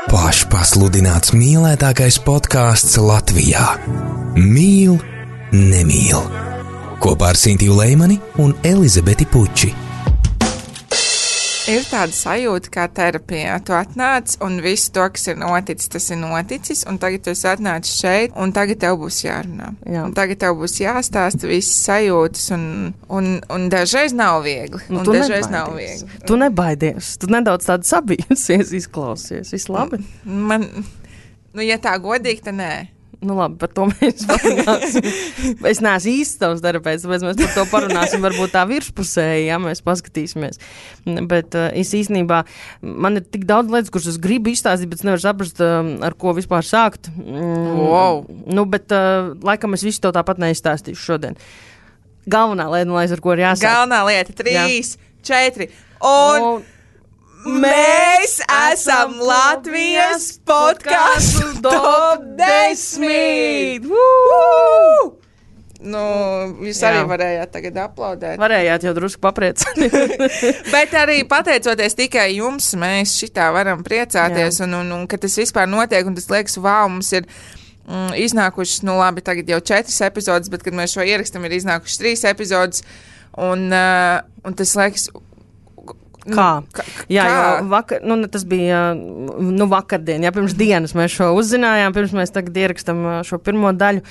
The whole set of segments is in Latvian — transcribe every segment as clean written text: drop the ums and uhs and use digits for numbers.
Pašpasludināts mīlētākais podcasts Latvijā. Mīl, nemīl. Kopā ar Sintiju Leimani un Elizabeti Puči. Ir tāda sajūta kā terapijā. Tu atnāc un visu to, kas ir noticis, tas ir noticis, un tagad tu esi atnācis šeit, un tagad tev būs jārunā. Jā. Un tagad tev būs jāstāsta visas sajūtas, un dažreiz nav viegli. Nu, un dažreiz nav viegli. Tu nebaidies. Tu nedaudz tādu sabijusies, izklausies. Viss labi? Ja tā godīgi, tad nē. Nu labi, par to mēs parunāsim. Es neesmu īsti tavs terapeits, tāpēc mēs par to parunāsim varbūt tā virspusēji, ja mēs paskatīsimies. Bet es īstenībā, man ir tik daudz lietas, kuras es gribu izstāstīt, bet es nevaru saprast, ar ko vispār sākt. Wow. Nu, bet laikam es visu to tāpat neizstāstīšu šodien. Galvenā lieta, ar ko ir jāsāk. Galvenā lieta, 3, 4, un... Mēs esam Latvijas podcastu top 10! Nu, jūs arī varējāt tagad aplaudēt. Varējāt jau drusku papriecāt. Bet arī pateicoties tikai jums, mēs šitā varam priecāties, un ka tas vispār notiek, un tas liekas, wow, mums ir iznākušas, nu labi, tagad jau 4 epizodes, bet kad mēs šo ierakstam, ir iznākušas 3 epizodes, un tas liekas... Kā? Jā, vakar, tas bija vakardien, pirms dienas mēs šo uzzinājām, pirms mēs tagad ierakstam šo pirmo daļu,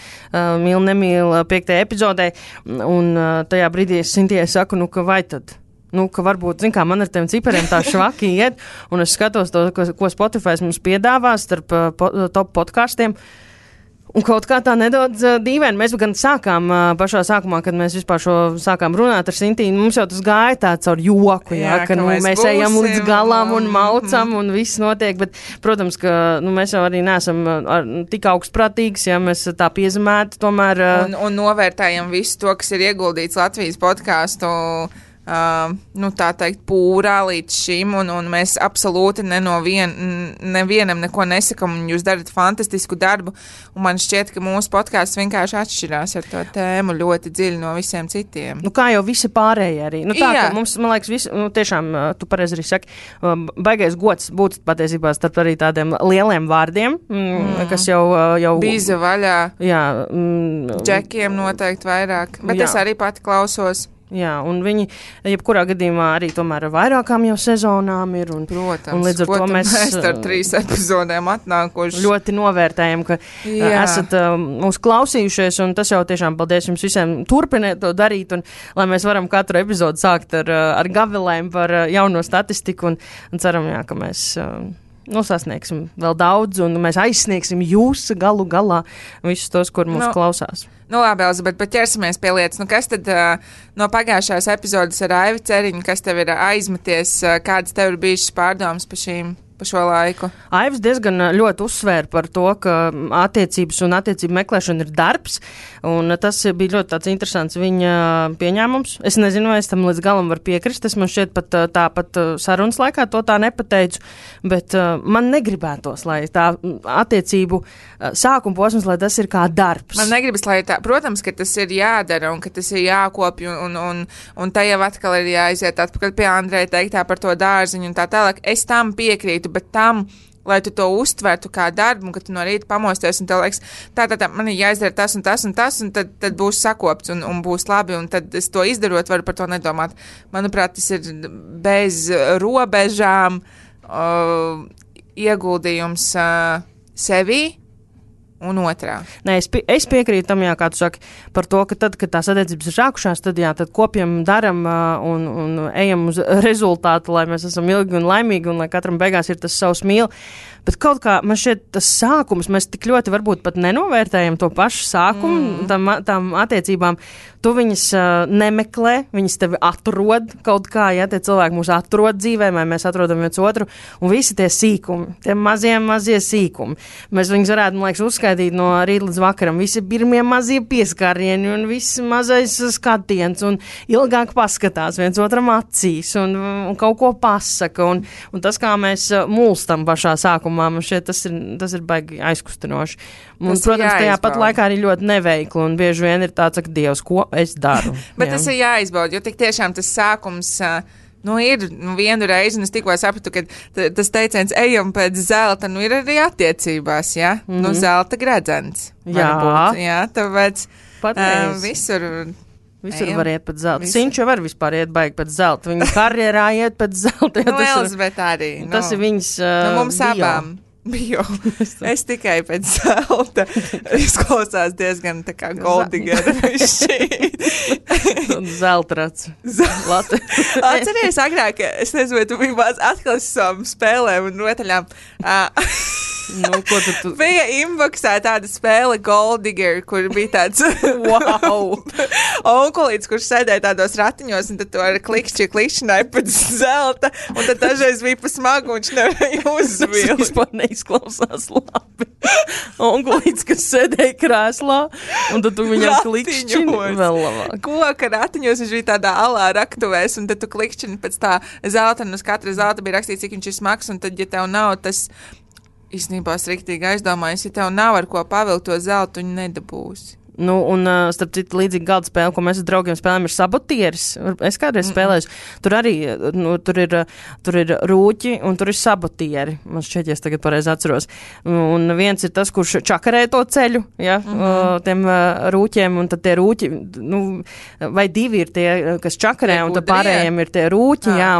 mīl, nemīl 5. epizodē, un tajā brīdī es Sintijai saku, ka vai tad? Ka varbūt, man ar tiem cipariem tā švaki iet, un es skatos to, ko Spotify mums piedāvā starp top podkastiem. Un kaut kā tā nedaudz dīvaini. Mēs gan sākām pašā sākumā, kad mēs vispār šo sākām runāt ar Sintīnu, mums jau tas gāja tāds ar joku, ka mēs ejam līdz galam un maucam un viss notiek, bet, protams, ka mēs jau arī neesam tik augstprātīgs, ja mēs tā piezemēti tomēr. Un novērtējam visu to, kas ir ieguldīts Latvijas podcastu tā teikt, pūrā līdz šim, un mēs absolūti nevienam neko nesakam, un jūs darat fantastisku darbu, un man šķiet, ka mūsu podcasts vienkārši atšķirās ar to tēmu ļoti dziļi no visiem citiem. Kā jau visi pārējie arī. Ka mums, man liekas, visi, tiešām, tu pareizi arī saki, baigais gods patiesībā starp arī tādiem lieliem vārdiem, kas jau... Bīza vaļā. Jā. Džekiem noteikti vairāk, bet es arī pati klausos. Jā, un viņi, jebkurā gadījumā arī tomēr vairākām jau sezonām ir. Protams, un līdz ar to mēs ar 3 epizodēm atnākuši. Ļoti novērtējam, ka esat mūs klausījušies, un tas jau tiešām paldies jums visiem turpiniet to darīt, un lai mēs varam katru epizodu sākt ar gavilēm par jauno statistiku, un ceram, ka mēs... sasniegsim vēl daudz, un mēs aizsniegsim jūs galu galā visus tos, kur mums klausās. Labi, Elizabete, bet ķersimies pie lietas. Kas tad no pagājušās epizodes ar Aivi Ceriņu, kas tev ir aizmeties, kādas tev ir bijušas pārdomas pa šo laiku? Aivs diezgan ļoti uzsvēra par to, ka attiecības un attiecību meklēšana ir darbs, un tas bija ļoti tāds interesants viņa pieņēmums. Es nezinu, vai es tam līdz galam varu piekrist, es man šķiet tāpat sarunas laikā to tā nepateicu, bet man negribētos, lai tā attiecību sākuma posms, lai tas ir kā darbs. Man negribas, lai tā, protams, ka tas ir jādara un ka tas ir jākopj un tā jau atkal ir jāiziet atpakaļ pie Andreja teiktā par to dārziņu un tā tālāk. Es tam piekrītu, bet tam, lai tu to uztvertu kā darbu, un ka tu no rīta pamosties un tev liekas, tā, man ir jāizdara tas un tas un tas, un tad būs sakopts un būs labi, un tad es to izdarot, varu par to nedomāt. Manuprāt, tas ir bez robežām ieguldījums sevī un otrā. Nē, es piekrītu tam, kā tu saki, par to, ka tad, kad tās attiecības ir sākušās, tad kopjam, daram un ejam uz rezultātu, lai mēs esam ilgi un laimīgi un lai katram beigās ir tas savs mīl. Bet kaut kā man šķiet tas sākums, mēs tik ļoti varbūt pat nenovērtējam to pašu sākumu, tām attiecībām. Tu viņas nemeklē, viņas tevi atrod kaut kā, tie cilvēki mūs atrod dzīvē, vai mēs atrodam viens otru, un visi tie sīkumi, tie mazie sīkumi. Mēs viņus varētu, man liekas, uzskaitīt no rīta līdz vakaram. Visi pirmie mazie pieskārieni un viss mazais skatiens, un ilgāk paskatās viens otram acīs, un kaut ko pasaka, un tas, kā mēs mulstam pašā sākumā, man šķiet, tas ir baigi aizkustinoši. Un, protams, tajā pat laikā arī ļoti neveikli, un bieži vien ir tāds, ka Dievs, ko es daru? Bet tas ir jāizbauda, jo tik tiešām tas sākums Ir vienu reizi, un es tikko sapratu, ka tas teiciens ejam pēc zelta, ir arī attiecībās, ja? Zelta gredzens. Jā, tāpēc visur var iet pēc zelta. Sinču var vispār iet baigi pēc zelta. Viņa karjerā iet pēc zelta. Elizabete arī. Tas ir viņas mums abām. Bio. Es tikai pēc zelta. Izklausās diezgan tā kā Goldigera. Zeltrats. Atceries agrāk, es nezinu, vai tu biji maz atklāsām spēlēm un rotaļām. Bija inboxā tāda spēle Goldigger, kur bija tāds onkulīts, kurš sēdēja tādos ratiņos, un tad to ar klikšķināja pēc zelta, un tad dažreiz bija pa smagu, un viņš nevarēja uzvilkt. Tas vispār neizklausās labi. Onkulīts, kas sēdēja krēslā, un tad tu viņam klikšķini vēl labāk. Koka ratiņos viņš bija tādā alā raktuvēs, un tad tu klikšķini pēc tā zelta, un uz katra zelta bija rakstīts, cik viņš ir smags, un tad, ja tev nav tas īstenībā es riktīgi aizdomājos, ja tev nav ar ko pavilkt to zeltu, tu nedabūsi. Un starp citu līdzīgi galda spēle, ko mēs ar draugiem spēlējam, ir sabotieris. Es kādreiz spēlēju. Tur arī, tur ir rūķi un tur ir sabotieri. Man šķiet, ja es tagad pareizi atceros. Un viens ir tas, kurš čakarē to ceļu, ja, tiem rūķiem, un tad tie rūķi, vai divi ir tie, kas čakarē, un tad pārējiem ir tie rūķi, jā,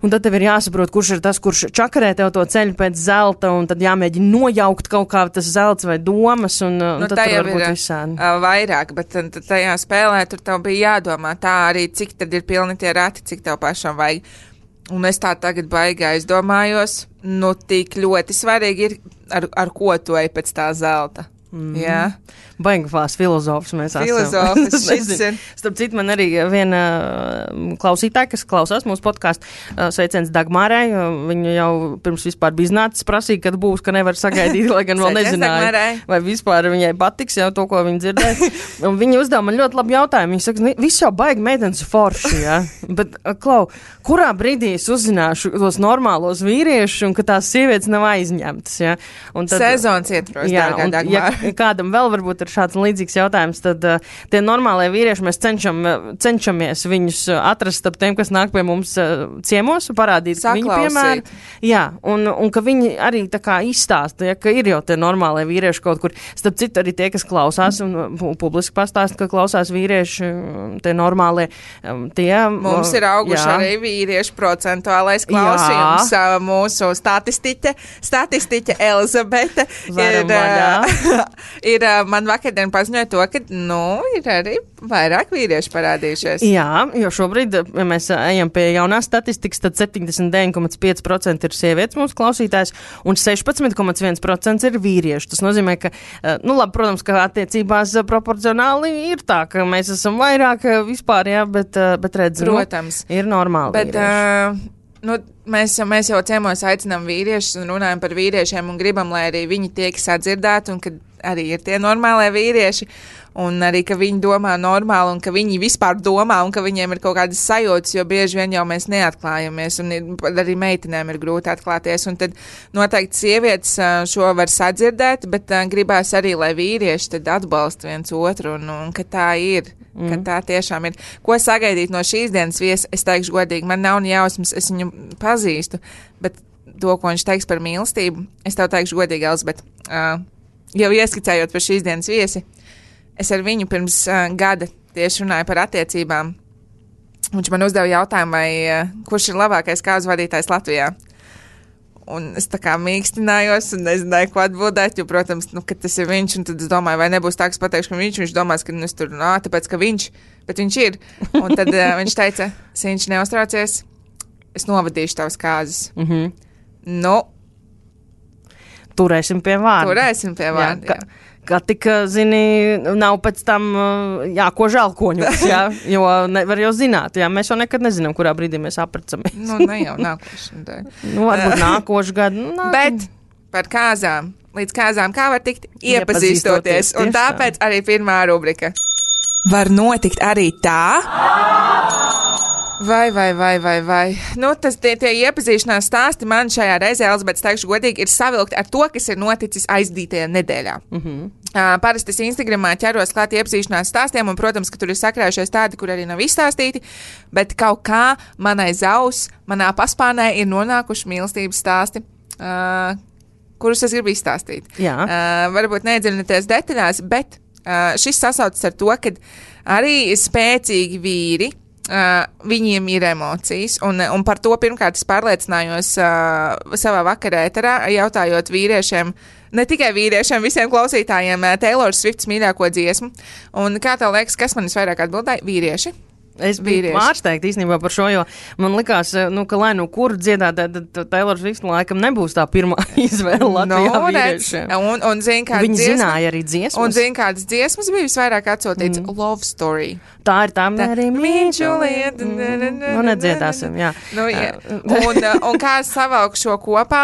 un tad tev ir jāsaprot, kurš ir tas, kurš čakarē tev to ceļu pēc zelta, un tad jāmēģina nojaukt kaut kā tas zelts vai domas, un tad tur var būt visādi. Vairāk, bet tajā spēlē tur tev bija jādomā tā arī, cik tad ir pilni tie rati, cik tev pašam vajag. Un es tā tagad baigi aizdomājos, tik ļoti svarīgi ir, ar ko tu ej pēc tā zelta. Jā. Baigās filozofs mēs esam. Filozofs. Starp citu, man arī viena klausītāja, kas klausās mūsu podcastu, sveiciens Dagmarai. Viņa jau pirms vispār bija iznācis prasīja, kad būs, ka nevar sagaidīt, lai gan vēl nezināja, vai vispār viņai patiks jau to, ko viņa dzirdēja. Un viņa uzdeva man ļoti labu jautājumu. Viņa saka, viss jau baigi meitenes forši, jā. Bet, Klau, kurā brīdī es uzzināšu tos normālos vīriešus un ka tās sievietes nav aizņemtas, jā? Sezons ietvaros, dārgā Dagmara. Kādam vēl varbūt ir šāds līdzīgs jautājums, tad tie normālie vīrieši, mēs cenšamies viņus atrast ap tiem, kas nāk pie mums ciemos, parādīt viņu piemēru. Jā, un ka viņi arī tā kā izstāsta, ja, ka ir jau tie normālie vīrieši kaut kur. Starp citu arī tie, kas klausās un publiski pastāsta, ka klausās vīrieši, tie normālie, tie. Mums ir auguši arī vīriešu procentuālais klausījums. Mūsu statistiķe Elizabete ir man vakardien paziņoja to, ka, ir arī vairāk vīrieši parādījušies. Jā, jo šobrīd, ja mēs ejam pie jaunās statistikas, tad 79,5% ir sievietes mūsu klausītājs un 16,1% ir vīrieši. Tas nozīmē, ka, labi, protams, ka attiecībās proporcionāli ir tā, ka mēs esam vairāk vispār, jā, bet redz, protams, ir normāli vīrieši. Mēs jau ciemos aicinām vīriešus un runājam par vīriešiem un gribam, lai arī viņi tiek sadzirdēti un ka arī ir tie normālie vīrieši un arī, ka viņi domā normāli un ka viņi vispār domā un ka viņiem ir kaut kādas sajūtas, jo bieži vien jau mēs neatklājamies un arī meitenēm ir grūti atklāties un tad noteikti sievietes šo var sadzirdēt, bet gribās arī, lai vīrieši tad atbalsta viens otru un ka tā ir. Ka tā tiešām ir. Ko sagaidīt no šīs dienas viesa, es teikšu godīgi, man nav jausmas, es viņu pazīstu, bet to, ko viņš teiks par mīlestību, es tev teikšu godīgi, Elizabete, jau ieskicējot par šīs dienas viesi, es ar viņu pirms gada tieši runāju par attiecībām. Viņš man uzdeva jautājumu, kurš ir labākais kāzu vadītājs Latvijā. Un es tā kā mīkstinājos un nezināju, ko atbildēt, jo, protams, ka tas ir viņš, un tad es domāju, vai nebūs tā, ka es pateikšu, ka viņš domās, ka es tur, tāpēc, ka viņš, bet viņš ir. Un tad viņš teica, Siņš, neuztraucies, es novadīšu tavas kāzas. Turēsim pie vārda. Jā. Kā tik, zini, nav pēc tam jākož alkoņus, jā, jo nevar jau zināt, jā, mēs jau nekad nezinām, kurā brīdī mēs aprecamies. Ne jau nākošu. Varbūt nākošu gadu. Bet par kāzām, līdz kāzām, kā var tikt iepazīstoties, un tāpēc arī pirmā rubrika. Var notikt arī tā? Vai. Tie iepazīšanās stāsti man šajā reizē, Elizabete, teikšu godīgi, ir savilkti ar to, kas ir noticis aizdītajā nedēļā. Parasti es Instagramā ķeros klāt iepazīšanās stāstiem, un, protams, ka tur ir sakrājušies tādi, kur arī nav izstāstīti, bet kaut kā manā paspārnē ir nonākuši mīlestības stāsti, kurus es gribu izstāstīt. Varbūt neiedziļināties detaļās, bet šis sasaucas ar to, ka arī spēcīgi vīri, viņiem ir emocijas, un par to pirmkārt es pārliecinājos savā vakarā ēterā, jautājot vīriešiem, ne tikai vīriešiem, visiem klausītājiem Taylor Swifts mīļāko dziesmu. Un kā tev liekas, kas man visvairāk atbildēja? Vīrieši. Es biju pārsteigta īstenībā par šo, jo man likās, ka lai nu kur dziedāt, tad Taylor Swift laikam nebūs tā pirmā izvēle Latvijā vīriešiem. Un zin, viņi zināja arī dziesmas. Un zin, kādas dziesmas bija visvairāk atsūtīts? Love Story. Tā ir tā Mary Juliet. Nu, nedziedāsim, jā. Un kā es savalku šo kopā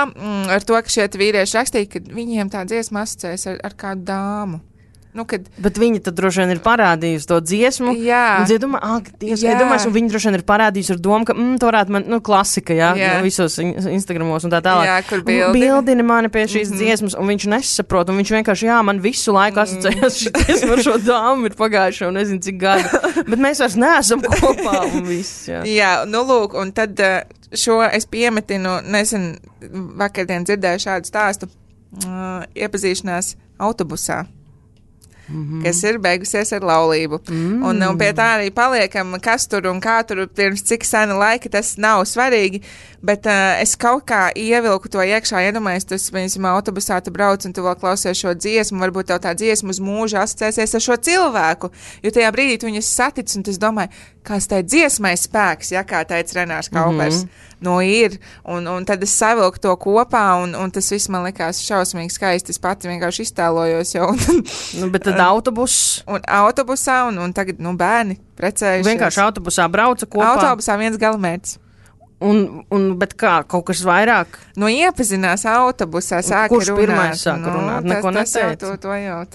ar to, ka šie vīrieši rakstīja, ka viņiem tā dziesma asociēs ar kādu dāmu. Bet viņi tad droši vien ir parādījusi to dziesmu. Jā. Un viņi droši vien ir parādījusi ar domu, ka tā varētu man, klasika, visos Instagramos un tā tālāk. Jā, kur bildini mani pie šīs dziesmas, un viņš nesaprot, un viņš vienkārši, man visu laiku asociējas šī dziesma ar šo dāmu ir pagājušo, un nezinu, cik gadu. Bet mēs vairs neesam kopā, un viss, Jā, lūk, un tad šo es piemetinu, vakardien dzirdēju šādu stāstu, iepazīšanās autobusā. Kas ir beigusies ar laulību. Un pie tā arī paliekam, kas tur un kā tur pirms cik sena laika, tas nav svarīgi, bet es kaut kā ievilku to iekšā, iedomājies, tu piemēram autobusā tu brauc un tu vēl klausies šo dziesmu, varbūt tev tā dziesma uz mūžu asociēsies ar šo cilvēku, jo tajā brīdī tu viņus satic un es domāju, kāds tai dziesmai spēks, kā teica Renārs Kaupers. Ir, un tad es savilku to kopā, un tas viss man likās šausmīgi skaisti. Es pati vienkārši iztēlojos jau. Bet tad autobuss. Un autobusā, un tagad, bērni precējušies. Vienkārši autobusā brauca kopā. Autobusā viens galamērķis. Bet kā, kaut kas vairāk? Iepazinās autobusā, sāka kurš runāt. Kurš pirmais sāka runāt? Neko neteica?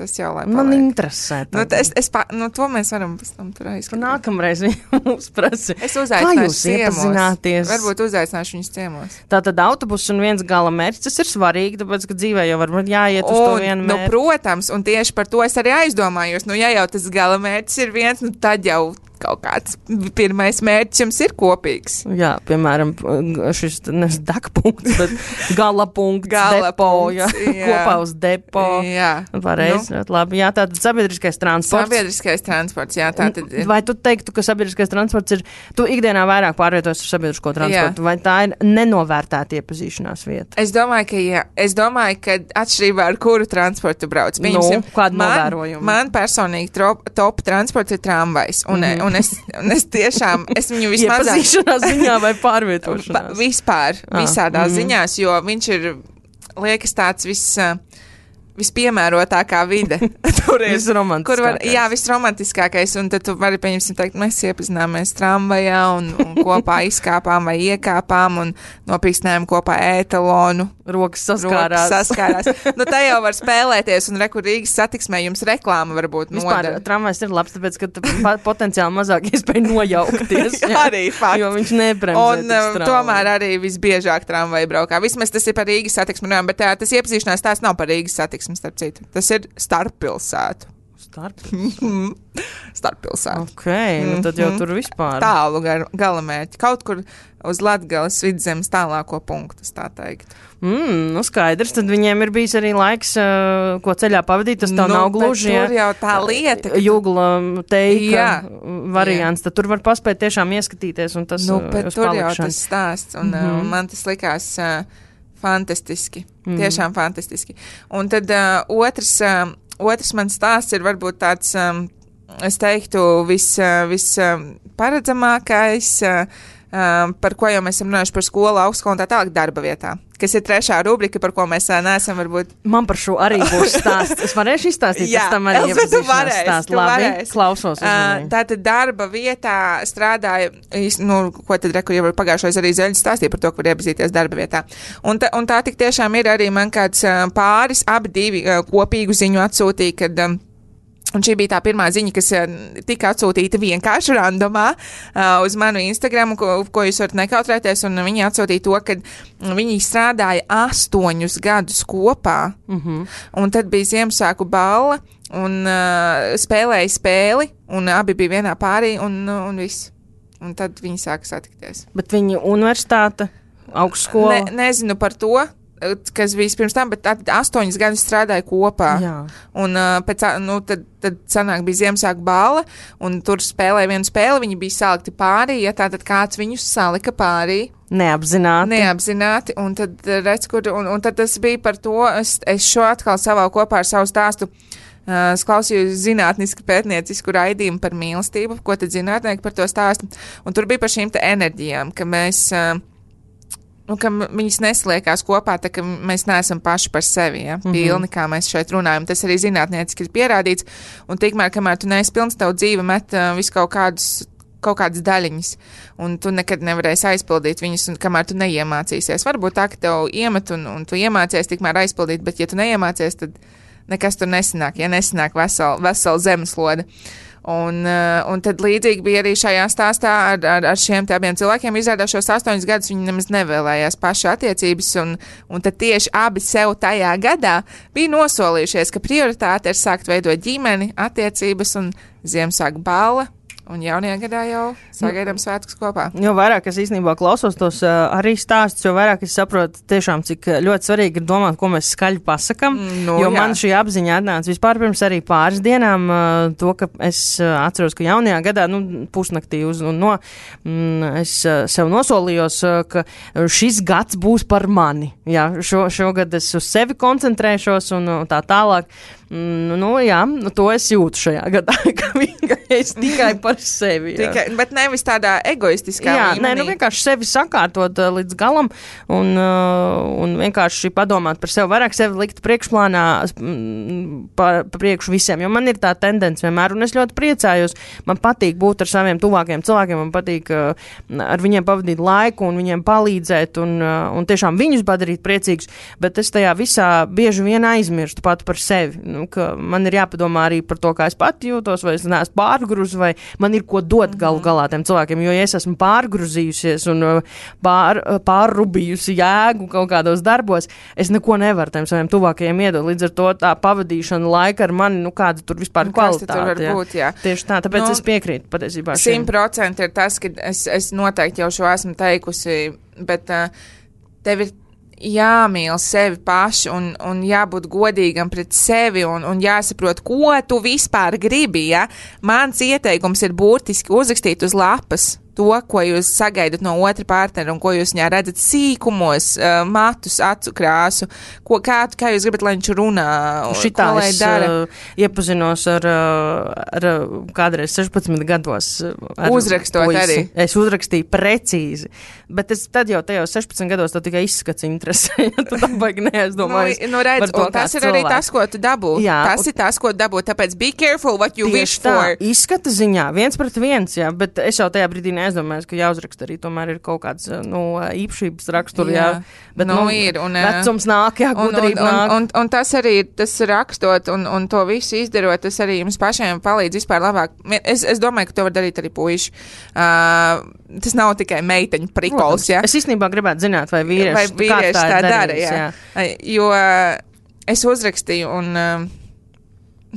Tas jau, lai paliek. Man interesē. To mēs varam pēc tam tur aizskatīt. Nākamreiz mums prasi. Es uzaicināšu ciemos. Varbūt uzaicināšu viņus ciemos. Tātad autobus un viens galamērķis, tas ir svarīgi, tāpēc, ka dzīvē jau var jāiet uz to vienu mērķi. Protams, un tieši par to es arī aizdomājos. Ja jau tas galamērķis ir viens, tad jau kaut kāds pirmais mērķis jums ir kopīgs. Jā, piemēram, šis degpunkts, bet gala punkts, depo, kopā uz depo. Jā. Pareizi, labi. Jā, tātad sabiedriskais transports. Sabiedriskais transports, jā, tātad ir. Vai tu teiktu, ka sabiedriskais transports ir, tu ikdienā vairāk pārvietojas ar sabiedrisko transportu, vai tā ir nenovērtēta iepazīšanās vieta? Es domāju, ka jā. Es domāju, ka atšķirībā ar kuru transportu brauc. Kādu novērojumu? Man personīgi top transports ir tramvajs. Un es tiešām, es viņu vismaz iepazīšanās ziņā vai pārvietošanās? Vispār, visādās ziņās, jo viņš ir, liekas, tāds vispiemērotākā vide. Tur ir visromantiskākais, un tad tu vari, teikt, mēs iepazināmies tramvajā un kopā izkāpām vai iekāpām un nopīkstinājām kopā ētalonu. Rokas saskārās. Tā jau var spēlēties, un Rīgas satiksmē jums reklāma varbūt nodara. Vispār tramvajs ir labs, tāpēc, ka potenciāli mazāk iespēja nojaukties. Arī fakts. Jo viņš nebremzē. Un tomēr arī visbiežāk tramvaji braukā. Vismaz tas ir par Rīgas satiksmi, bet tas iepazīšanās tās nav par Rīgas satiksmi, starp citu. Tas ir starppilsētu. Starppilsētu. Ok, tad jau tur vispār. Tālu galamērķi. Kaut kur uz Latgales vidzemes tālāko punktu, tā teikt. Skaidrs, tad viņiem ir bijis arī laiks, ko ceļā pavadīt, tas nav gluži. Tur jau tā lieta. Jugla teika variants, tad tur var paspēt tiešām ieskatīties, un tas bet tur jau tas stāsts, un man tas likās fantastiski. Tiešām fantastiski. Un tad otrs mans stāsts ir varbūt tāds, es teiktu, visparedzamākais, par ko jau mēs esam runājuši par skolu, augstskolu un tā tālāk darba vietā, kas ir trešā rubrika, par ko mēs neesam varbūt. Man par šo arī būs stāsts. Es varēšu izstāstīt, jā, tam arī iepazīšanās stāsts. Labi, klausos. Tātad darba vietā strādāja, ko tad reku jau pagājušais arī Zeļs stāstīja par to, ka var iepazīties darba vietā. Un tā tik tiešām ir arī man kāds pāris, abi divi kopīgu ziņu atsūtīja, kad Un šī bija tā pirmā ziņa, kas tika atsūtīta vienkārši randomā uz manu Instagram, ko jūs varat nekautrēties, un viņi atsūtīja to, ka viņi strādāja 8 gadus kopā, un tad bija Ziemassvētku balla, un spēlēja spēli, un abi bija vienā pārī, un viss. Un tad viņi sāka satikties. Bet viņi universitāte, augstskola? Nezinu par to, kas bija pirms tam, bet 8 gadus strādāja kopā. Jā. Un tad sanāk bija Ziemassvētku balla, un tur spēlēja vienu spēli, viņi bija salikti pārī, ja tātad kāds viņus salika pārī. Neapzināti, un tad redz, un tad tas bija par to, es šo atkal savalku kopā ar savu stāstu. Es klausījos zinātnisku pētniecisku raidījumu par mīlestību, ko tad zinātnieki par to stāsta. Un tur bija par šīm te enerģijām, ka mēs, ka viņas nesliekās kopā, tā ka mēs neesam paši par sevi, ja, pilni, kā mēs šeit runājam. Tas arī zinātnieciski ir pierādīts. Un tikmēr, kamēr tu neesi pilns, tavu dzīve met visu kaut kādas daļiņas, un tu nekad nevarēsi aizpildīt viņas, un kamēr tu neiemācīsies. Varbūt tā, ka tev iemet, un tu iemācies tikmēr aizpildīt, bet ja tu neiemācies, tad nekas tur nesanāk, ja nesanāk vesela zemeslode. Un tad līdzīgi bija arī šajā stāstā ar šiem te abiem cilvēkiem. Izrādās šos 8 gadus viņi nemaz nevēlējās paši attiecības, un tad tieši abi sev tajā gadā bija nosolījušies, ka prioritāte ir sākt veidot ģimeni, attiecības un Ziemassvētku balla. Un jaunajā gadā jau sagaidām svētkus kopā. Jo vairāk es īstenībā klausos tos arī stāstus, jo vairāk es saprotu tiešām, cik ļoti svarīgi ir domāt, ko mēs skaļi pasakam. Man šī apziņa atnāca vispār pirms arī pāris dienām, to, ka es atceros, ka jaunajā gadā, pusnaktī es sev nosolījos, ka šis gads būs par mani. Jā, šogad es uz sevi koncentrēšos un tā tālāk. To es jūtu šajā gadā, ka es tikai par sevi. Bet nevis tādā egoistiskā līmenī. Vienkārši sevi sakārtot līdz galam un vienkārši padomāt par sevi, vairāk sevi likt priekšplānā priekšu visiem, jo man ir tā tendence vienmēr, un es ļoti priecājos, man patīk būt ar saviem tuvākiem cilvēkiem, man patīk ar viņiem pavadīt laiku un viņiem palīdzēt un tiešām viņus padarīt priecīgus, bet es tajā visā bieži vien aizmirstu pat par sevi. Ka man ir jāpadomā arī par to, kā es pati jūtos, vai es neesmu pārgruzi, vai man ir ko dot galu galā tiem cilvēkiem, jo ja es esmu pārgruzījusies un pārrubījusi jēgu kaut kādos darbos, es neko nevaru tiem saviem tuvākajiem iedot. Līdz ar to tā pavadīšana laika ar mani, kāda tur vispār kvalitāte. Tur var būt, jā. Tieši tā, tāpēc es piekrītu patiesībā. 100% ir tas, ka es noteikti jau šo esmu teikusi, bet tev ir jāmīl sevi paši un jābūt godīgam pret sevi un jāsaprot, ko tu vispār gribi, ja? Mans ieteikums ir burtiski uzrakstīt uz lapas to, ko jūs sagaidat no otra partnera un ko jūs viņā redzat sīkumos, matus, acu krāsu, kā jūs gribat, lai viņš runā, šitā ko lai dara. Iepazinos ar kādreiz 16 gados. Uzrakstot puisi. Arī. Es uzrakstīju precīzi, bet tad jau tajos 16 gados to tikai izskats interesē, ja tu tā baigi neaizdomājies. Redz, un tas ir arī tas, ko tu dabū. Jā, tas ir tas, ko tu dabū, tāpēc be careful what you wish for. Izskata ziņā, 1-1, jā, bet es jau tajā brīdī neaizdomājos, ka jāuzraksta arī tomēr ir kaut kāds, īpašības raksturi, jā. Bet, ir. Un, vecums nāk, jā, gudrība nāk. Un tas arī, tas rakstot un to visu izdarot, tas arī jums pašiem palīdz vispār labāk. Es domāju, ka to var darīt arī puiši. Tas nav tikai meiteņu prikols, jā. Es īstenībā gribētu zināt, vai vīrieši tā dara, jā. Jo es uzrakstīju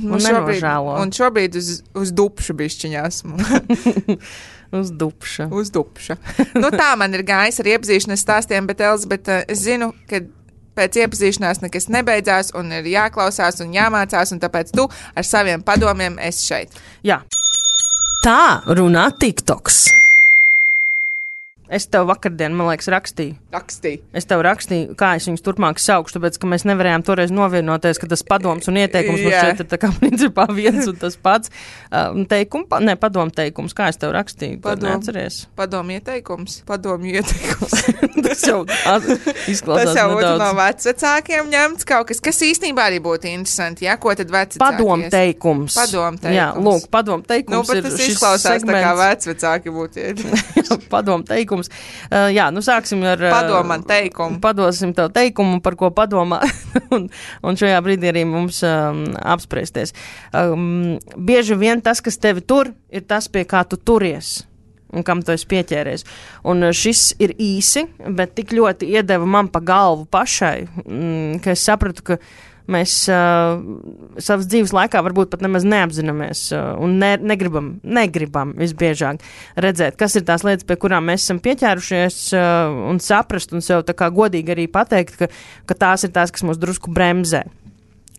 un šobrīd uz dupšu bišķiņā esmu. Uz dupša. Tā man ir gājis ar iepazīšanās stāstiem, bet Elizabete, es zinu, ka pēc iepazīšanās nekas nebeidzās un ir jāklausās un jāmācās, un tāpēc tu ar saviem padomiem esi šeit. Jā. Tā runā TikToks. Es tev vakardien, man liekas, rakstīju. Es tev rakstīju, kā es viņus turpmāk saukšu, tāpēc, ka mēs nevarējām toreiz novienoties, ka tas padoms un ieteikums mums šeit ir tā kā principā viens un tas pats. Padomu teikums, kā es tev rakstīju, neatceries? Padomu ieteikums. Tas jau izklausās tas jau nedaudz. No vecvecākiem ņemts kaut kas īstenībā arī būtu interesanti, ja, ko tad vecvecāki Padomu teikums. Jā, lūk, padomu teikums ir šis segments. Tas izklausās tā kā vecvecāki būtu. Padomu teikums teikums. Jā, nu sāksim ar... Padomā teikumu. Padosim tev teikumu, par ko padomā, un šajā brīdī arī mums apspriesties. Bieži vien tas, kas tevi tur, ir tas, pie kā tu turies. Un kam tu esi pieķēries. Un šis ir īsi, bet tik ļoti iedeva man pa galvu pašai, ka es sapratu, ka mēs savas dzīves laikā varbūt pat nemaz neapzināmies un negribam visbiežāk redzēt, kas ir tās lietas, pie kurām mēs esam pieķērušies un saprast un sev tā kā godīgi arī pateikt, ka tās ir tās, kas mūs drusku bremzē.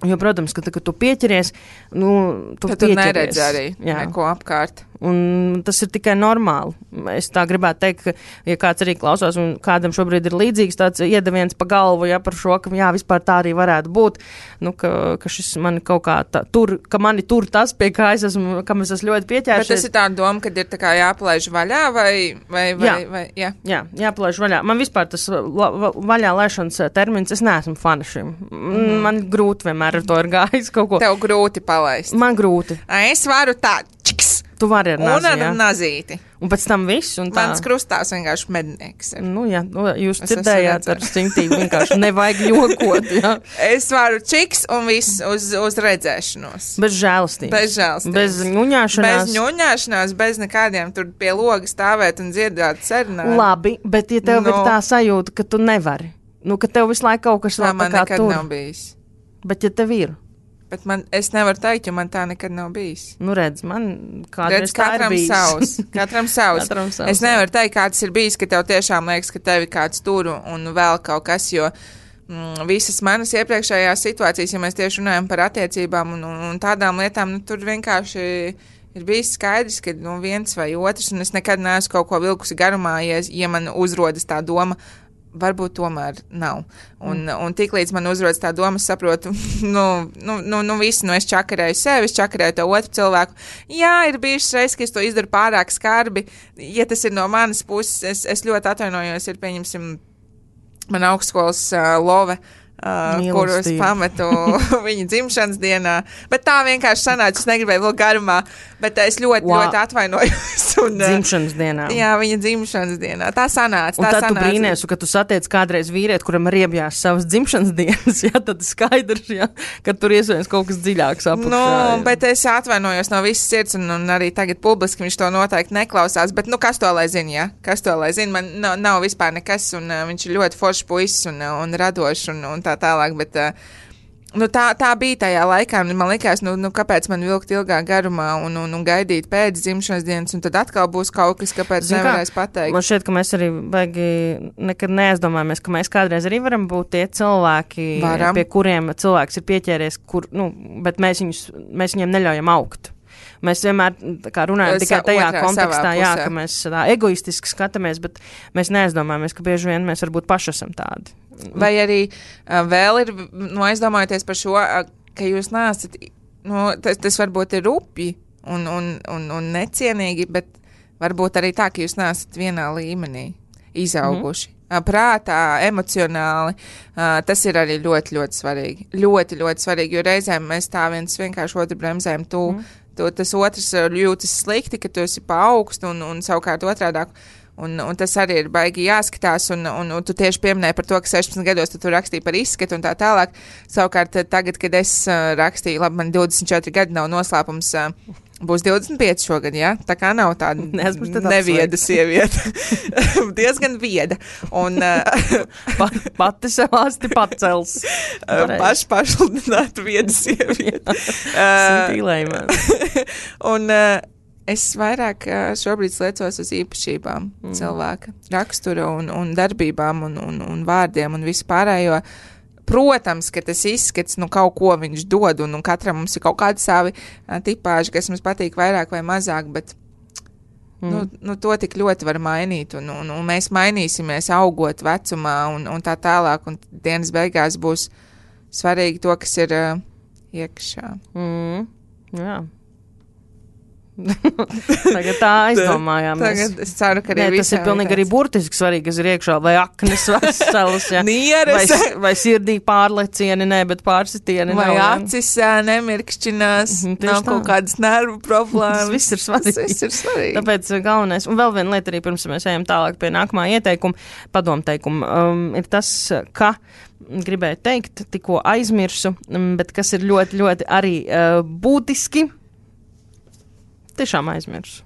Jo, protams, ka tu pieķeries, tu pieķeries. Tu neredzi arī neko apkārt. Un tas ir tikai normāli. Es tā gribētu teikt, ka, ja kāds arī klausās un kādam šobrīd ir līdzīgs tāds iedeviens pa galvu, par šo, ka vispār tā arī varētu būt, ka šis mani kaut kā ka mani tur tas, pie kā es esmu, kam es esmu ļoti pieķēršies. Bet tas ir tā doma, kad ir tā kā jāpalaiž vaļā vai jā? Jā, jāpalaiž vaļā. Man vispār tas vaļā laišanas termins, es neesmu fana šim. Man grūti vienmēr ar to ir gājis kaut ko. Tev grūti palaist. Man grūti. Es varu tā, čiks. Tu vari ar nazi, un ar nazīti. Un pēc tam viss. Un tā. Mans krustās vienkārši mednieks ir. Jūs dzirdējāt ar simtību vienkārši nevajag jokot. Jā. Es varu čiks un viss uz redzēšanos. Bez žēlastības. Bez ņuņāšanās. Bez nekādiem tur pie loga stāvēt un dziedāt serenādi. Labi, bet ja tev ir tā sajūta, ka tu nevari, ka tev visu laiku kaut kas vēl tā kā tur. Man nekad nav bijis. Bet ja tev ir? Bet es nevaru teikt, jo man tā nekad nav bijis. Redz, man kādreiz tā ir bijis. Katram savs. Es nevaru teikt, kā tas ir bijis, ka tev tiešām liekas, ka tevi kāds tur un vēl kaut kas, jo visas manas iepriekšējās situācijas, ja mēs tieši runājam par attiecībām un tādām lietām, tur vienkārši ir bijis skaidrs, ka viens vai otrs, un es nekad neesmu kaut ko vilkusi garumā, ja man uzrodas tā doma, varbūt tomēr nav. Un tiklīdz man uzrodas tā doma, es saprotu, es čakarēju sevi, es čakarēju to otru cilvēku. Jā, ir bijušas reizes, ka es to izdaru pārāk skarbi. Ja tas ir no manas puses, es ļoti atvainojos, ir pieņemsim man augstskolas love, kurus pametu viņa dzimšanas dienā. Bet tā vienkārši sanāca, es negribēju vēl garumā, bet es ļoti atvainojos. Dzimšanas dienā. Jā, viņa dzimšanas dienā. Tā sanāca. Un tad tu brīnies, ka tu satiec kādreiz vīrieti, kuram riebjās savas dzimšanas dienas, tad skaidrs, ka tur iespējams kaut kas dziļāks apakšā. Bet es atvainojos no visas sirds, un arī tagad publiski viņš to noteikti neklausās, bet kas to lai zina, ja? Kas to lai zina? Man nav vispār nekas, un viņš ir ļoti foršs puisis un radošs un tā tālāk, bet tā bija tajā laikā, un man likās, kāpēc man vilkt ilgāk garumā un gaidīt pēc dzimšanas dienas, un tad atkal būs kaut kas, kāpēc nevarēs pateikt. Man šķiet, ka mēs arī nekad neaizdomājamies, ka mēs kādreiz arī varam būt tie cilvēki, pie kuriem cilvēks ir pieķēries, bet mēs viņiem neļaujam augt. Mēs vienmēr runājam tikai tajā kontekstā, ka mēs tā egoistiski skatāmies, bet mēs neaizdomājamies, ka bieži vien mēs varbūt paši esam tādi. Vai arī vēl ir, aizdomājoties par šo, ka jūs neesat, tas varbūt ir rupji un necienīgi, bet varbūt arī tā, ka jūs neesat vienā līmenī izauguši. Prātā, emocionāli, tas ir arī ļoti, ļoti svarīgi. Ļoti, ļoti svarīgi, jo reizēm mēs tā viens vienkārši otru bremzējam, tas otrs jūtas slikti, ka tu esi pa augstu un savukārt otrādāk. Un tas arī ir baigi jāskatās, un tu tieši pieminēji par to, ka 16 gados tu rakstīji par izskatu un tā tālāk. Savukārt tagad, kad es rakstīju, labi, man 24 gadi nav noslēpums, būs 25 šogad, jā? Tā kā nav tāda nevieda sieviete. Diezgan vieda. Un pati sev asti pacels. Pašludināta vieda sieviete. Un es vairāk šobrīd sliecos uz īpašībām cilvēka rakstura un darbībām un vārdiem un vispārējo. Protams, ka tas izskats, kaut ko viņš dod, un katram mums ir kaut kādi savi tipāži, kas mums patīk vairāk vai mazāk, bet to tik ļoti var mainīt, un mēs mainīsimies augot vecumā un tā tālāk, un dienas beigās būs svarīgi to, kas ir iekšā. Jā. Tagad tā aizdomājāmies. Tagad es ceru, ka arī tas ir pilnīgi arī burtiski svarīgi, kas ir iekšā, vai aknes veselas, Nieres. vai sirdī pārlecieni, bet pārsitieni. Vai acis nemirkšķinās, nav kaut kādas nervu problēmas. Viss ir svarīgi. Tāpēc galvenais, un vēl viena lieta arī pirms mēs ejam tālāk pie nākamā ieteikuma, padomteikuma, ir tas, ka gribēju teikt, tikko aizmirsu, bet kas ir ļoti, ļoti arī būtiski, tiešām aizmirsu.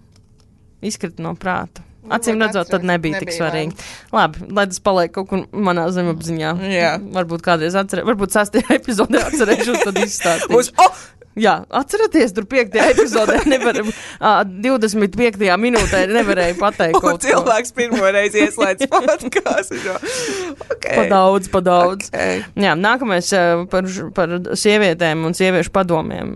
Izkrita no prāta. Acīm redzot, tad nebija tik svarīgi. Labi, lai tas paliek kaut kur manā zemapziņā. Jā. Varbūt kādreiz varbūt 6. epizodē atcerēšu, tad izstāstīšu. Jā, atceraties, tur 5. epizodē 25. minūtē nevarēja pateikt kaut ko. Cilvēks pirmoreiz ieslēdz podcastu. Pa daudz. Okay. Jā, nākamais par sievietēm un sieviešu padomiem,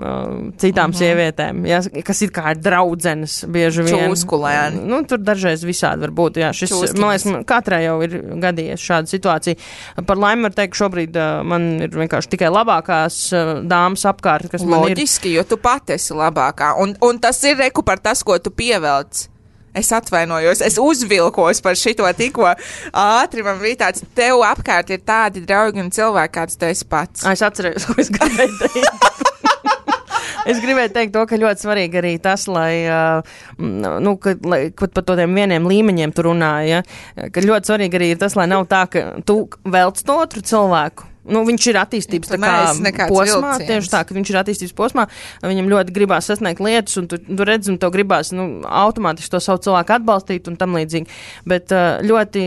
citām sievietēm, jā, kas it kā ir draudzenes bieži vien. Čūskulēni. Nu, tur dažreiz visādi var būt, jā. Šis, man liekas, katrai jau ir gadījies šāda situācija. Par laimi var teikt, ka šobrīd man ir vienkārši tikai labākās dāmas apkārt, kas man loģiski, jo tu pati esi labākā. Un tas ir reku par tas, ko tu pievelc. Es atvainojos, es uzvilkos par šito tikko ātri. Man bija tāds, tev apkārt ir tādi draugi un cilvēki, kāds tu esi pats. Es atcerējos, ko es gribēju teikt. Es gribēju teikt to, ka ļoti svarīgi arī tas, lai par tādiem vieniem līmeņiem tu runāji, ja? Ka ļoti svarīgi arī ir tas, lai nav tā, ka tu velc to otru cilvēku. Nu, viņš ir attīstības posmā, tieši tā, ka viņš ir attīstības posmā, viņam ļoti gribās sasniegt lietas, un tu redzi, un tev gribās, automātiski to savu cilvēku atbalstīt un tam līdzīgi. Bet ļoti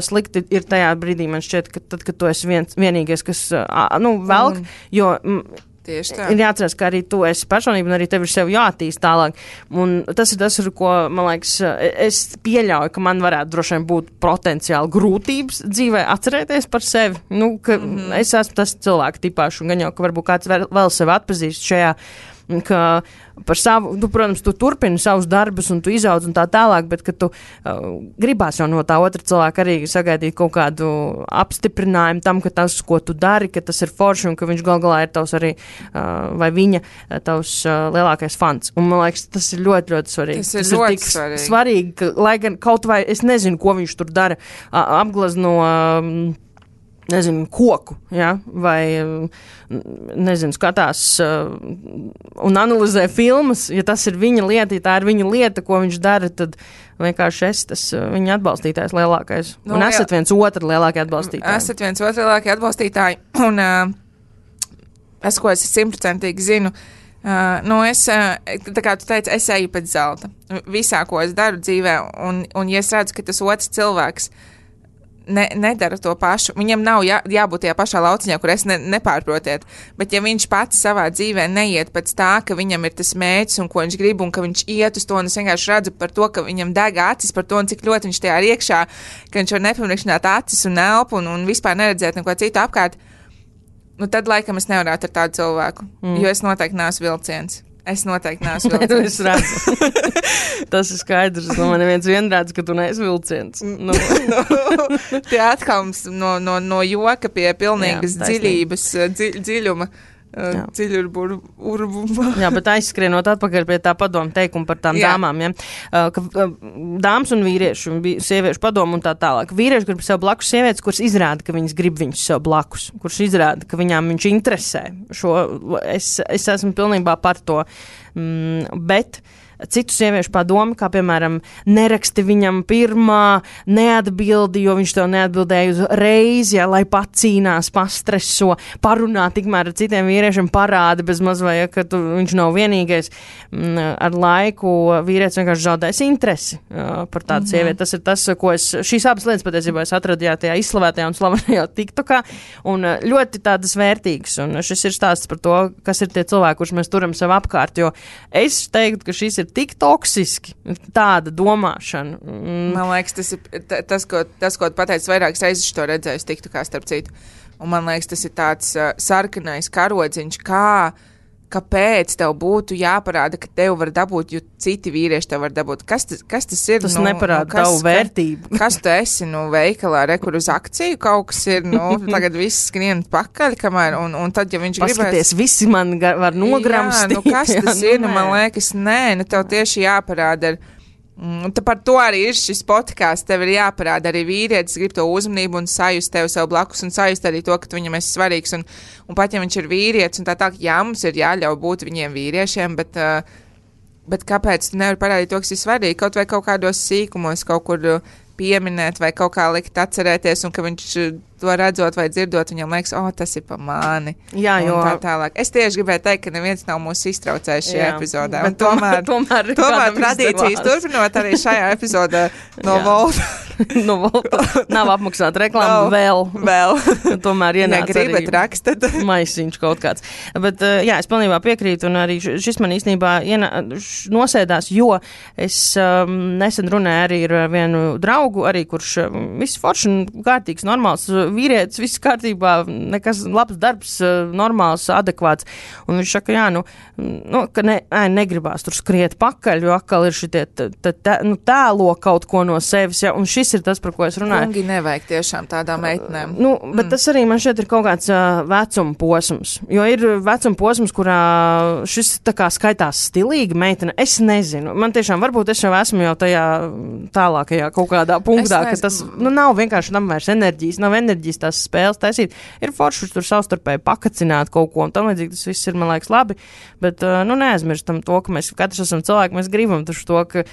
slikti ir tajā brīdī, man šķiet, ka tad, kad tu esi vienīgais, kas, velk, jo ir jāatcerās, ka arī tu esi personība un arī tev ir sev jāattīst tālāk. Un tas ir tas, ar ko, man liekas, es pieļauju, ka man varētu droši vien būt potenciāli grūtības dzīvē atcerēties par sevi. Ka es esmu tas cilvēku tipāšu un gan jau, ka varbūt kāds vēl sevi atpazīst šajā, ka par savu, protams, tu turpini savus darbus un tu izaudz un tā tālāk, bet ka tu gribās jau no tā otra cilvēka arī sagaidīt kaut kādu apstiprinājumu tam, ka tas, ko tu dari, ka tas ir forši un ka viņš gal galā ir tavs arī, vai viņa tavs lielākais fans. Un man liekas, tas ir ļoti, ļoti svarīgi. Tas ir ļoti svarīgi, ka, lai gan kaut vai, es nezinu, ko viņš tur dara, apglezno koku, ja? Vai, skatās un analizē filmas, ja tas ir viņa lieta, ja tā ir viņa lieta, ko viņš dara, tad vienkārši tas viņa atbalstītājs lielākais. Un esat viens otru lielākie atbalstītāji. Esat viens otru lielākie atbalstītāji, un es, ko es 100% zinu, tā kā tu teici, es eju pēc zelta. Visā, ko es daru dzīvē, un ja es redzu, ka tas otrs cilvēks nedara to pašu. Viņam nav jābūt tajā pašā lauciņā, kur es nepārprotiet. Bet ja viņš pats savā dzīvē neiet pēc tā, ka viņam ir tas mērķis un ko viņš grib un ka viņš iet uz to, un es vienkārši redzu par to, ka viņam deg acis par to un cik ļoti viņš tajā ir iekšā, ka viņš var nepamirkšķināt acis un elpu un vispār neredzēt neko citu apkārt, tad laikam es nevarētu ar tādu cilvēku, jo es noteikti neesmu vilciens. Es noteikti neesmu vilciens. Es redzu. Tas ir skaidrs. Man neviens vienredz, ka tu neesi vilciens. Tie atkals no joka pie pilnīgas dziļības, dziļuma. Jā, bet aizskrienot atpakaļ pie tā padomu teikuma par tām dāmām, ja? Ka dāmas un vīrieši, un sieviešu padomu un tā tālāk. Vīrieši grib sev blakus sievietes, kuras izrāda, ka viņas grib viņus sev blakus, kuras izrāda, ka viņām viņš interesē. Es esmu pilnībā par to, bet citu sieviešu padomi, kā piemēram neraksti viņam pirmā, neatbildi, jo viņš tev neatbildēja uzreiz, ja, lai pacīnās, pastreso, parunā tikmēr ar citiem vīriešiem, parāda bez mazvai, ja, ka viņš nav vienīgais. Ar laiku vīrietis vienkārši zaudēs interesi par tādu sievieti. Tas ir tas, ko šīs abas lietas patiesībā es atradu tajā izslavētajā un slavenajā TikTokā, un ļoti tādas vērtīgas, un šis ir stāsts par to, kas ir tie cilvēki, kurus mēs turam sev apkārt, jo es teiktu, ka šis ir tik toksiski, tāda domāšana. Man liekas, tas ir tas, ko tu pateici vairākas reizes, to redzēju TikTokā starp citu. Un man liekas, tas ir tāds sarkanais karodziņš, kā kāpēc tev būtu jāparāda, ka tev var dabūt, jo citi vīrieši tev var dabūt. Kas tas ir? Tas neparāda tavu vērtību. Kas tu esi, veikalā, kur uz akciju kaut kas ir, tagad viss skrien pakaļ, kamēr, un tad, ja viņš gribēs... Paskaties, visi man var nogramstīt. Jā, kas tas ir? Man liekas, nē, tev tieši jāparāda ar... Tad par to arī ir šis podkāsts. Tev ir jāparāda arī vīrietis, grib to uzmanību un sajust tevi sev blakus un sajust arī to, ka tu viņam esi svarīgs. Un pat ja viņš ir vīrietis un tā, jā, mums ir jāļauj būt viņiem vīriešiem, bet kāpēc tu nevari parādīt to, kas ir svarīgi? Kaut vai kaut kādos sīkumos, kaut kur pieminēt vai kaut kā likt atcerēties un ka viņš to redzot vai dzirdot, viņam liekas, tas ir pa mani. Jā, jo... Tā tālāk. Es tieši gribēju teikt, ka neviens nav mūs iztraucējis šajā epizodē. Bet tomēr tradīcijas turpinot arī šajā epizodē no Volta. No Volta nav apmaksāta reklāma vēl. Tomēr ienāca negribat rakstat. Maisiņš kaut kāds. Bet jā, es pilnībā piekrītu un arī šis man īstenībā nosēdās, jo es nesen runāju arī ar vienu draugu, arī kurš viss forši un kārtīgs, normāls vīrietis, viss kārtībā, nekas labs darbs, normāls, adekvāts. Un viņš saka, ka negribās tur skriet pakaļ, jo atkal ir šitie tēlo kaut ko no sevis, ja, un šis ir tas, par ko es runāju. Kungi nevajag tiešām tādām meitenēm. Bet tas arī man šeit ir kaut kāds vecuma posms, jo ir vecuma posms, kurā šis tā kā skaitās stilīga meitene. Es nezinu, man tiešām varbūt es jau esmu jau tajā tālākajā kaut kādā punktā, ka tas nav vienkārši tam vairs enerģijas, nav enerģijas tās spēles taisīt. Ir forši tur savstarpēji pakacināt kaut ko, un tam līdzīgi tas viss ir, man liekas, labi, bet, neaizmirstam to, ka mēs katrs esam cilvēki, mēs gribam taču to, ka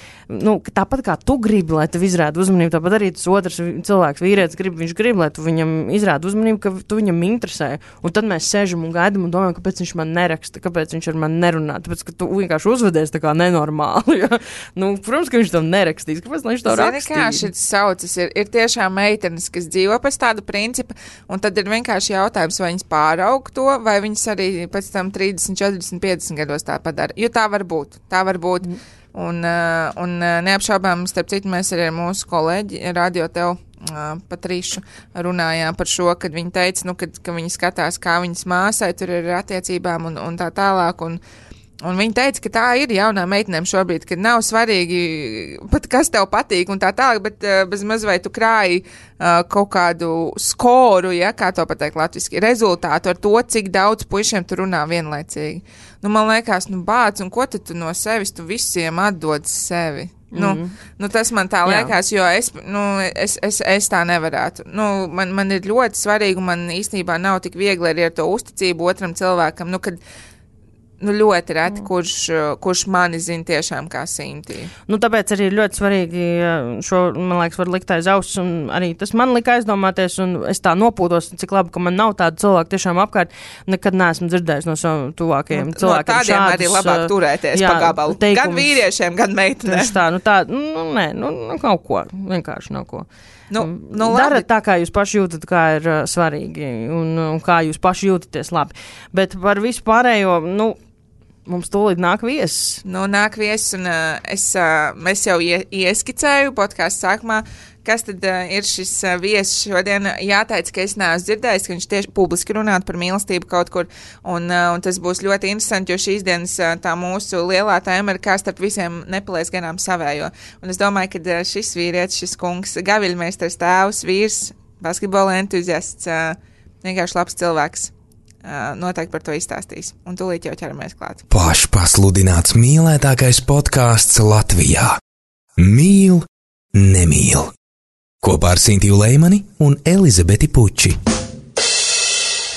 tāpat kā tu gribi, lai tev izrāda uzmanību, tāpat arī tas otrs cilvēks, vīrietis viņš grib, lai tu viņam izrāda uzmanību, ka tu viņam interesē, un tad mēs sēžam un gaidam un domājam, kāpēc viņš man neraksta, kāpēc viņš ar mani nerunā, tāpēc, ka tu vienkārši uzvedies tā kā nenormāli, ja? Protams, ka viņš tam nerakstīs, kāpēc viņš to rakstīja? Kā šis saucas, ir tiešām meitenes, kas dzīvo pēc tāda principa, un tad ir vienkārši jautājums, vai viņas pāraug to, vai viņas arī pēc tam 30, 40, 50 gados tā padara. Jo tā var būt. Un neapšaubām, starp citu, mēs arī ar mūsu kolēģi Radio Tev Patrišu runājām par šo, kad viņi teica, ka viņi skatās, kā viņas māsai tur ir attiecībām un tā tālāk, un viņi teica, ka tā ir jaunām meitenēm šobrīd, ka nav svarīgi pat kas tev patīk un tā tālāk, bet bez maz vai tu krāji kaut kādu skoru, ja, kā to pateikt latviski, rezultātu ar to, cik daudz puišiem tu runā vienlaicīgi. Man liekas, bāc, un ko tad tu no sevis, tu visiem atdod sevi? Tas man tā liekas, jo es tā nevarētu. Man ir ļoti svarīgi, un man īstenībā nav tik viegli arī ar to uzticību otram cilvēkam, kad ļoti reti, kurš mani zina tiešām kā Sintī. Tāpēc arī ļoti svarīgi šo, man liekas, var likt aiz auss, un arī tas man lika aizdomāties, un es tā nopūtos, cik labi, ka man nav tādu cilvēku tiešām apkārt, nekad neesmu dzirdējis no saviem tuvākajiem cilvēkiem. No tādiem šādus, arī labāk turēties pa gabalu. Teikums, gan vīriešiem, gan meitenēm. Kaut ko, vienkārši nav ko. Dara tā, kā jūs paši jūtat, kā ir svarīgi, un kā jūs paši jūtaties labi. Bet par visu pārējo, mums tūlīt nāk viesis. Nāk viesis, un mēs jau ieskicēju podkāstu sākumā, kas tad ir šis viesis šodien. Jāteic, ka es neesmu dzirdējis, ka viņš tieši publiski runātu par mīlestību kaut kur, un tas būs ļoti interesanti, jo šīs dienas tā mūsu lielā tēma ir, kā starp visiem nepalies garām savējo. Un es domāju, ka šis vīrietis, šis kungs, gaviļmeistars, tēvs, vīrs, basketbola entuziasts, vienkārši labs cilvēks. Noteikti par to izstāstīs. Un tūlīt jau ķeramies klāt. Pašpasludināts mīlētākais podkāsts Latvijā. Mīl, nemīl. Kopā ar Sintiju Leimani un Elizabeti Puči.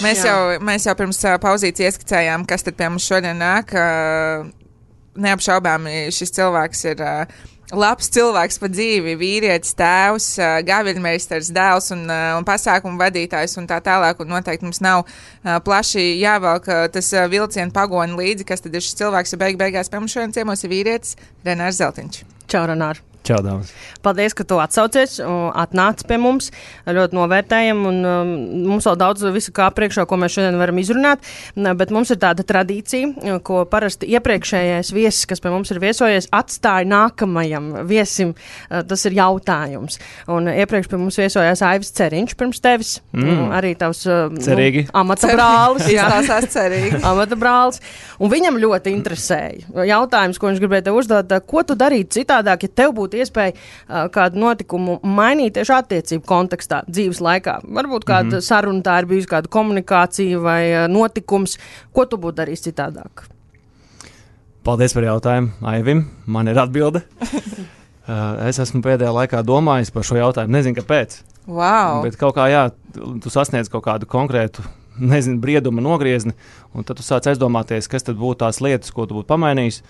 Mēs jau pirms pauzītes ieskicējām, kas tad pie mums šodien nāk. Neapšaubām šis cilvēks ir labs cilvēks pa dzīvi, vīrietis, tēvs, gaviļmeistars, dēls un pasākumu vadītājs un tā tālāk, un noteikti mums nav plaši jāvelk tas vilcienu pagoni līdzi, kas tad ir šis cilvēks, ja beigās pie mums šodien ciemos ir vīrietis Renārs Zeltiņš. Čau, Renār. Čau, dāmas. Paldies, ka tu atsaucies, atnāc pie mums. Ļoti novērtējam, un mums vēl daudz visu kā priekšā, ko mēs šodien varam izrunāt, bet mums ir tāda tradīcija, ko parasti iepriekšējais viesis, kas pie mums ir viesojies, atstāja nākamajam viesim. Tas ir jautājums. Un iepriekš pie mums viesojās Aivis Ceriņš pirms tevis, arī tavs amata brālis. Izklausās cerīgi. Amata brālis. Un viņam ļoti interesēja jautājums, ko viņš gribēja tev uzdot, ko tu darītu citādāk, ja tev būtu iespēja kādu notikumu mainīt tieši attiecību kontekstā, dzīves laikā. Varbūt kāda saruna tā ir bijusi, kāda komunikācija vai notikums. Ko tu būtu darījis citādāk? Paldies par jautājumu, Aivim. Man ir atbilde. Es esmu pēdējā laikā domājis par šo jautājumu. Nezinu, kāpēc. Wow. Bet kaut kā, tu sasniedz kaut kādu konkrētu, brieduma nogriezni, un tad tu sāc aizdomāties, kas tad būtu tās lietas, ko tu būtu pamainījis.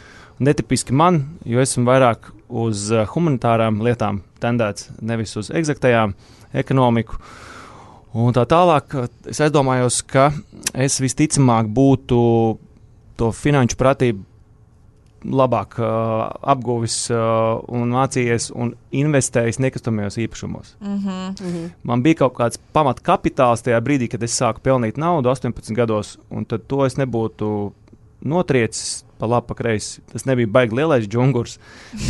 Netipiski man, jo esmu vairāk uz humanitārām lietām tendēts, nevis uz egzaktajām, ekonomiku. Un tā tālāk es aizdomājos, ka es visticamāk būtu to finanšu pratību labāk apguvis un mācījies un investējis nekustamajos īpašumos. Man bija kaut kāds pamatkapitāls tajā brīdī, kad es sāku pelnīt naudu 18 gados, un tad to es nebūtu notriecis pa labi, pa kreisi. Tas nebija baigi lielais džungurs,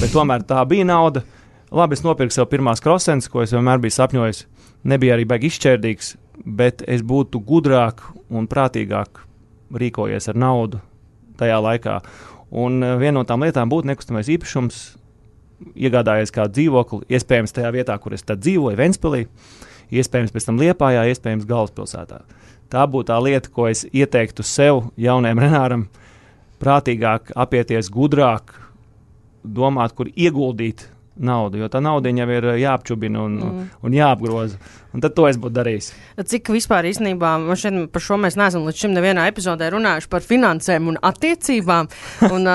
bet tomēr tā bija nauda. Labi, es nopirku sev pirmās krosenes, ko es vienmēr biju sapņojis. Nebija arī baigi izšķērdīgs, bet es būtu gudrāk un prātīgāk rīkojies ar naudu tajā laikā. Un viena no tām lietām būtu nekustamais īpašums, iegādājies kādu dzīvokli, iespējams tajā vietā, kur es tad dzīvoju, Ventspilī, iespējams pēc tam Liepājā, iespējams galvaspilsētā. Tā būtu tā lieta, ko es ieteiktu sev, jaunajam Renāram, prātīgāk apieties, gudrāk domāt, kur ieguldīt naudu, jo tā nauda jau ir jāapčubina un jāapgroza. Un tad to es būtu darījis. Cik vispār īstenībā, par šo mēs neesam līdz šim nevienā epizodē runājuši par finansēm un attiecībām. Un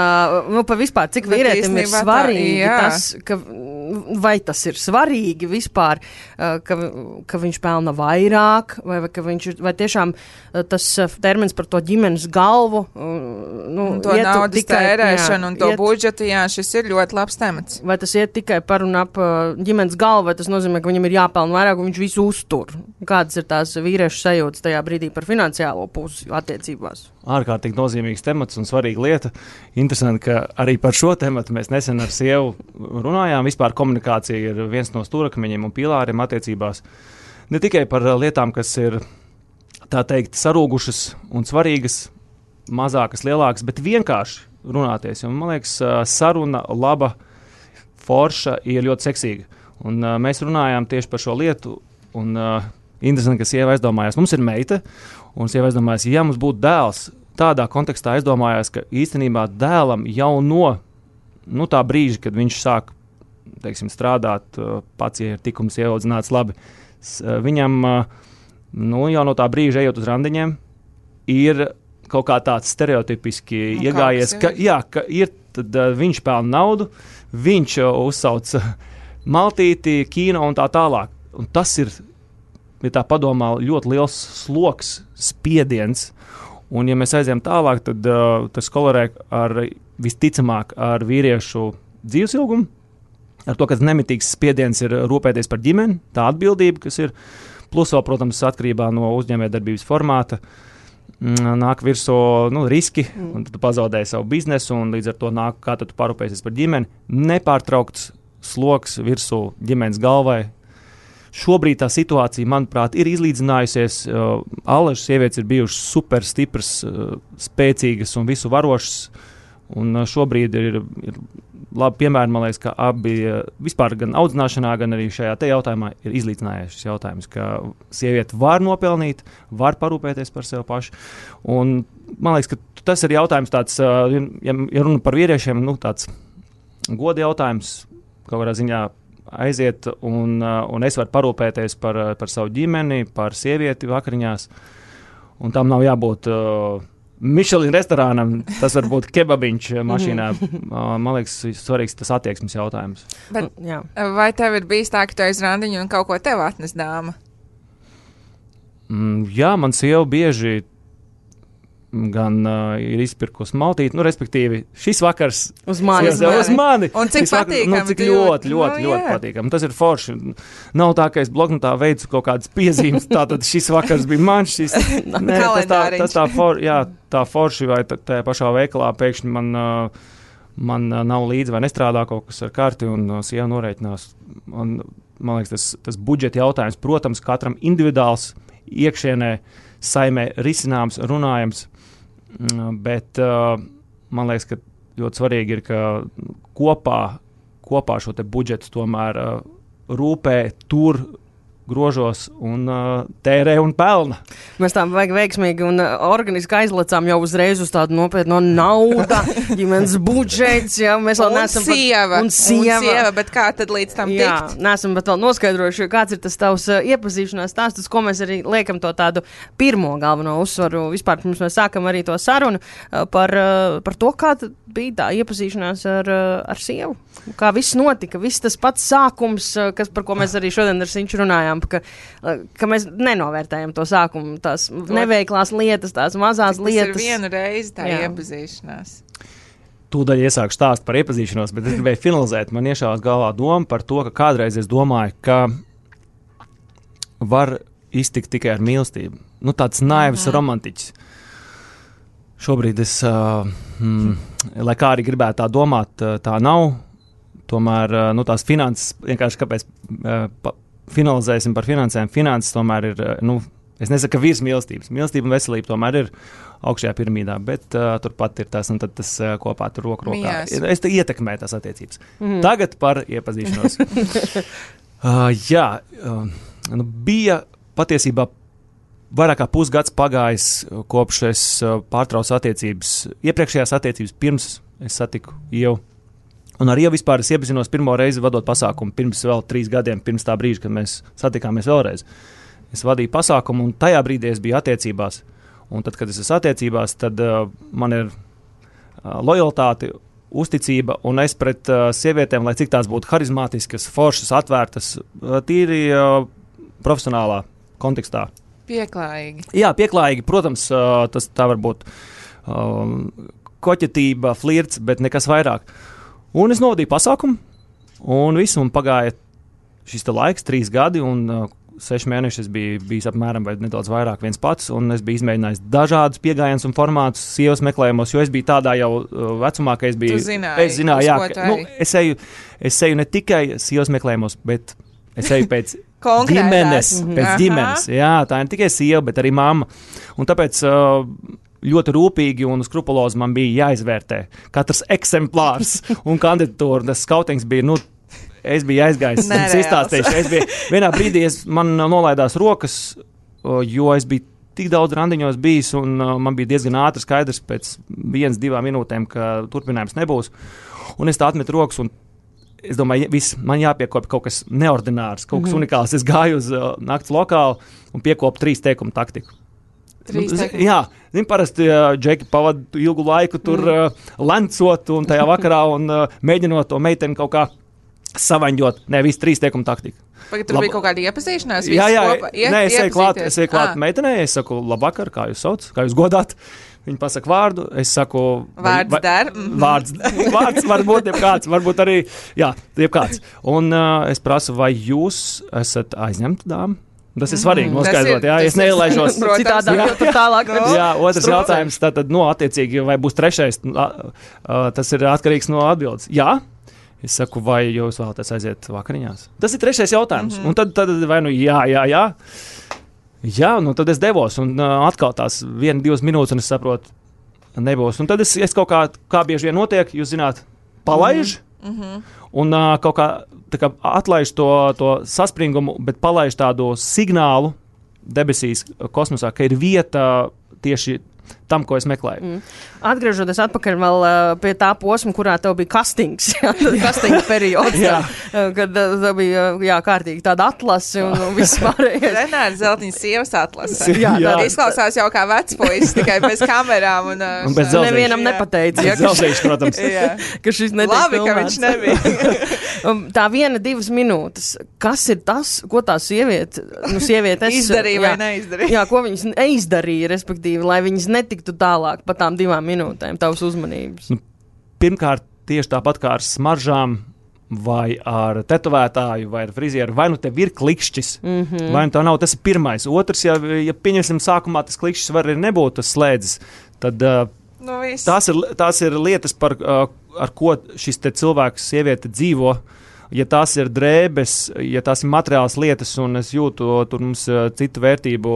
par vispār, cik vīrietim ir svarīgi tas, vai tas ir svarīgi vispār, ka viņš pelna vairāk, vai tiešām tas termins par to ģimenes galvu. To naudas tērēšanu un to budžetu, šis ir ļoti labs temats. Vai tas iet tikai par un ap ģimenes galvu, vai tas nozīmē, ka viņam ir jāpelna vairāk un viņš visu uztur? Kādas ir tās vīriešu sajūtas tajā brīdī par finansiālo pusi attiecībās? Ārkārtīgi nozīmīgs temats un svarīga lieta. Interesanti, ka arī par šo tematu mēs nesen ar sievu runājām. Vispār komunikācija ir viens no stūrakmeņiem un pilāriem attiecībās. Ne tikai par lietām, kas ir, tā teikt, sarūgušas un svarīgas, mazākas, lielākas, bet vienkārši runāties. Un, man liekas, saruna laba, forša ir ļoti seksīga. Un mēs runājām tieši par šo lietu, un interesanti, ka sieva aizdomājās, mums ir meita, un sieva aizdomājās, ja mums būtu dēls, tādā kontekstā aizdomājās, ka īstenībā dēlam jau no tā brīža, kad viņš sāk, teiksim, strādāt, pats, ja ir tikums ieaudzināts labi, viņam jau no tā brīža ejot uz randiņiem, ir kaut kā tāds stereotipiski iegājies, ka ir, tad viņš pelna naudu, viņš uzsauc maltīti, kino un tā tālāk. Un tas ir, ja tā padomā, ļoti liels sloks, spiediens. Un ja mēs aizējām tālāk, tad tas kolorē visticamāk ar vīriešu dzīves ilgumu, ar to, ka nemitīgs spiediens ir rūpēties par ģimeni, tā atbildība, kas ir, plus vēl, protams, atkarībā no uzņēmējdarbības formāta, nāk virsū riski, un tu pazaudēji savu biznesu, un līdz ar to nāk, kā tu parūpēsies par ģimeni, nepārtraukts sloks virsū ģimenes galvai. Šobrīd tā situācija, manuprāt, ir izlīdzinājusies. Allažas sievietes ir bijušas super stipras, spēcīgas un visu varošas, un šobrīd ir labi piemēri, man liekas, ka abi vispār gan audzināšanā, gan arī šajā te jautājumā ir izlīdzinājies šis jautājums, ka sieviete var nopelnīt, var parūpēties par sevi pašu. Un man liekas, ka tas ir jautājums tāds, ja runa par vīriešiem, tāds goda jautājums, kaut kādā ziņā aiziet, un es varu parūpēties par savu ģimeni, par sievieti vakariņās, un tam nav jābūt Michelin restorānam, tas var būt kebabiņš mašīnā. Man liekas, svarīgs tas attieksmes jautājums. Bet, vai tev ir bijis tā, ka tu aiz randiņu un kaut ko tev atnes dāma? Jā, man sieva bieži gan ir izpirkusi maltīti, respektīvi, šis vakars uz mani. Uz mani. Un cik patīkami. Cik ļoti patīkami. Tas ir forši. Nav tā, ka es bloknotā veicu kaut kādas piezīmes, tātad šis vakars bija man, šis tas tā forši, vai tajā pašā veikalā pēkšņi man nav līdzi vai nestrādā kaut kas ar karti, un sieva norēķinās. Man liekas, tas budžeta jautājums, protams, katram individuāls iekšienē saimē risināms, runājams, bet man liekas, ka ļoti svarīgi ir, ka kopā šo te budžetu tomēr rūpē, tur grožos un tērē un pelna. Mēs tā veiksmīgi un organiski aizlecām jau uzreiz uz tādu nopietnu nauda, ģimenes budžets, jā, mēs vēl neesam un sieva, bet kā tad līdz tam tikt? Jā, neesam bet vēl noskaidrojuši, kāds ir tas tavs iepazīšanās stāsts, ko mēs arī liekam to tādu pirmo galveno uzsvaru. Vispār, pirms mēs sākam arī to sarunu par to, kā bija tā iepazīšanās ar sievu. Kā viss notika, viss tas pats sākums, par ko mēs arī šodien ar Sinču runājām, ka mēs nenovērtējam to sākumu, tās neveiklās lietas, tās mazās lietas. Tas ir vienu reizi tā iepazīšanās. Tūdaļ iesāku stāst par iepazīšanos, bet es gribēju finalizēt. Man iešāvās galvā doma par to, ka kādreiz es domāju, ka var iztikt tikai ar mīlestību. Tāds naivs romantiķis. Šobrīd es, lai kā arī gribētu tā domāt, tā nav. Tomēr tās finanses, vienkārši kāpēc finalizēsim par finansēm. Finanses tomēr ir, es nesaku, ka virs mīlestības. Mīlestība un veselība tomēr ir augšējā piramīdā, bet turpat ir tas, un tad tas kopā tur roku rokā. Es te ietekmēju tās attiecības. Tagad par iepazīšanos. Bija patiesībā vairāk kā pusgads pagājis, kopš es pārtraucu attiecības. Iepriekšējās attiecības pirms es satiku Ievu. Un ar Ievu vispār es iepazinos pirmo reizi vadot pasākumu pirms vēl 3 gadiem, pirms tā brīža, kad mēs satikāmies vēlreiz. Es vadīju pasākumu, un tajā brīdī es biju attiecībās. Un tad, kad es esmu attiecībās, tad man ir lojalitāte, uzticība, un es pret sievietēm, lai cik tās būtu harizmātiskas, foršas, atvērtas, tīri profesionālā kontekstā. Pieklājīgi. Jā, pieklājīgi. Protams, tas tā var būt koķetība, flirts, bet nekas vairāk. Un es novadīju pasākumu, un visu man pagāja šis laiks, 3 gadi, un 6 mēneši es biju bijis apmēram vai nedaudz vairāk viens pats, un es biju izmēģinājis dažādus pieejams un formātus sievas meklējumos, jo es biju tādā jau vecumā, ka es biju. Tu zināji, es zināju, jā, ka, es eju ne tikai sievas meklējumos, bet es eju pēc ģimenes. Jā, tā ir ne tikai sieva, bet arī mamma. Un tāpēc ļoti rūpīgi un skrupulozi man bija jāizvērtē katrs eksemplārs un kandidatūra. Tas skautings bija, es biju aizgājis, es izstāstīšu. Vienā brīdī man nolaidās rokas, jo es biju tik daudz randiņos bijis, un man bija diezgan ātri skaidrs pēc 1-2 minūtēm, ka turpinājums nebūs. Un es tā atmetu rokas, un es domāju, man jāpiekopja kaut kas neordinārs, kaut kas unikāls. Es gāju uz nakts lokālu un piekopu 3 teikumu taktiku. Jā, parasti džeki pavada ilgu laiku tur lencot un tajā vakarā un mēģinot to meiteni kaut kā savaņģot. Nē, viss 3 teikumu taktika. Tur bija kaut kāda iepazīšanās? Jā, es eju klāt meitenei, es saku, labvakar, kā jūs sauc, kā jūs godāt? Viņa pasaka vārdu, es saku... Vārds der? Vārds var būt jebkāds, varbūt arī, jebkāds. Un es prasu, vai jūs esat aizņemta dāma? Tas ir svarīgi noskaidrot, es neielaižos. Tālāk. Jā, otrs jautājums, tātad, attiecīgi, vai būs 3. Tas ir atkarīgs no atbildes. Jā, es saku, vai jūs vēlaties aiziet vakariņās? Tas ir 3. jautājums. Un tad vai jā. Jā, tad es devos, un atkal tās 1-2 minūtes, un es saprotu, nebūs. Un tad es kaut kā bieži vien notiek, jūs zināt, palaiž, un kaut kā atlaiž to saspringumu, bet palaiž tādu signālu debesīs, kosmosā, ka ir vieta tieši tam, ko es meklēju. Atgriežoties atpakaļ vēl pie tā posma, kurā tev bija kastings, kastinga periods, kad tev bija kārtīgi tāda atlase un viss pārējais. Renāra Zeltiņas sievas atlase. Jā. Izklausās jau kā vecpuisis, tikai bez kamerām. Un bez zelzīšu. Nevienam nepateica. Bez zelzīšu, protams. Ka šis netiek labi, ka viņš nebija. Tā 1-2 minūtes. Kas ir tas, ko tā sieviete izdarīja vai neizdarīja? Jā, ko viņas neizdarīja, respektīvi, lai viņas netiktu tālāk pa tām 2 minūtēm tavas uzmanības? Pirmkārt, tieši tāpat kā ar smaržām, vai ar tetovētāju, vai ar frizieru, vai nu tev ir klikšķis, vai nu tā nav, tas ir pirmais. Otrs, ja pieņemsim sākumā tas klikšķis var arī nebūt tas slēdzis, tad tās ir lietas, ar ko šis te cilvēks, sieviete dzīvo. Ja tās ir drēbes, ja tās ir materiāls lietas, un es jūtu, tur mums citu vērtību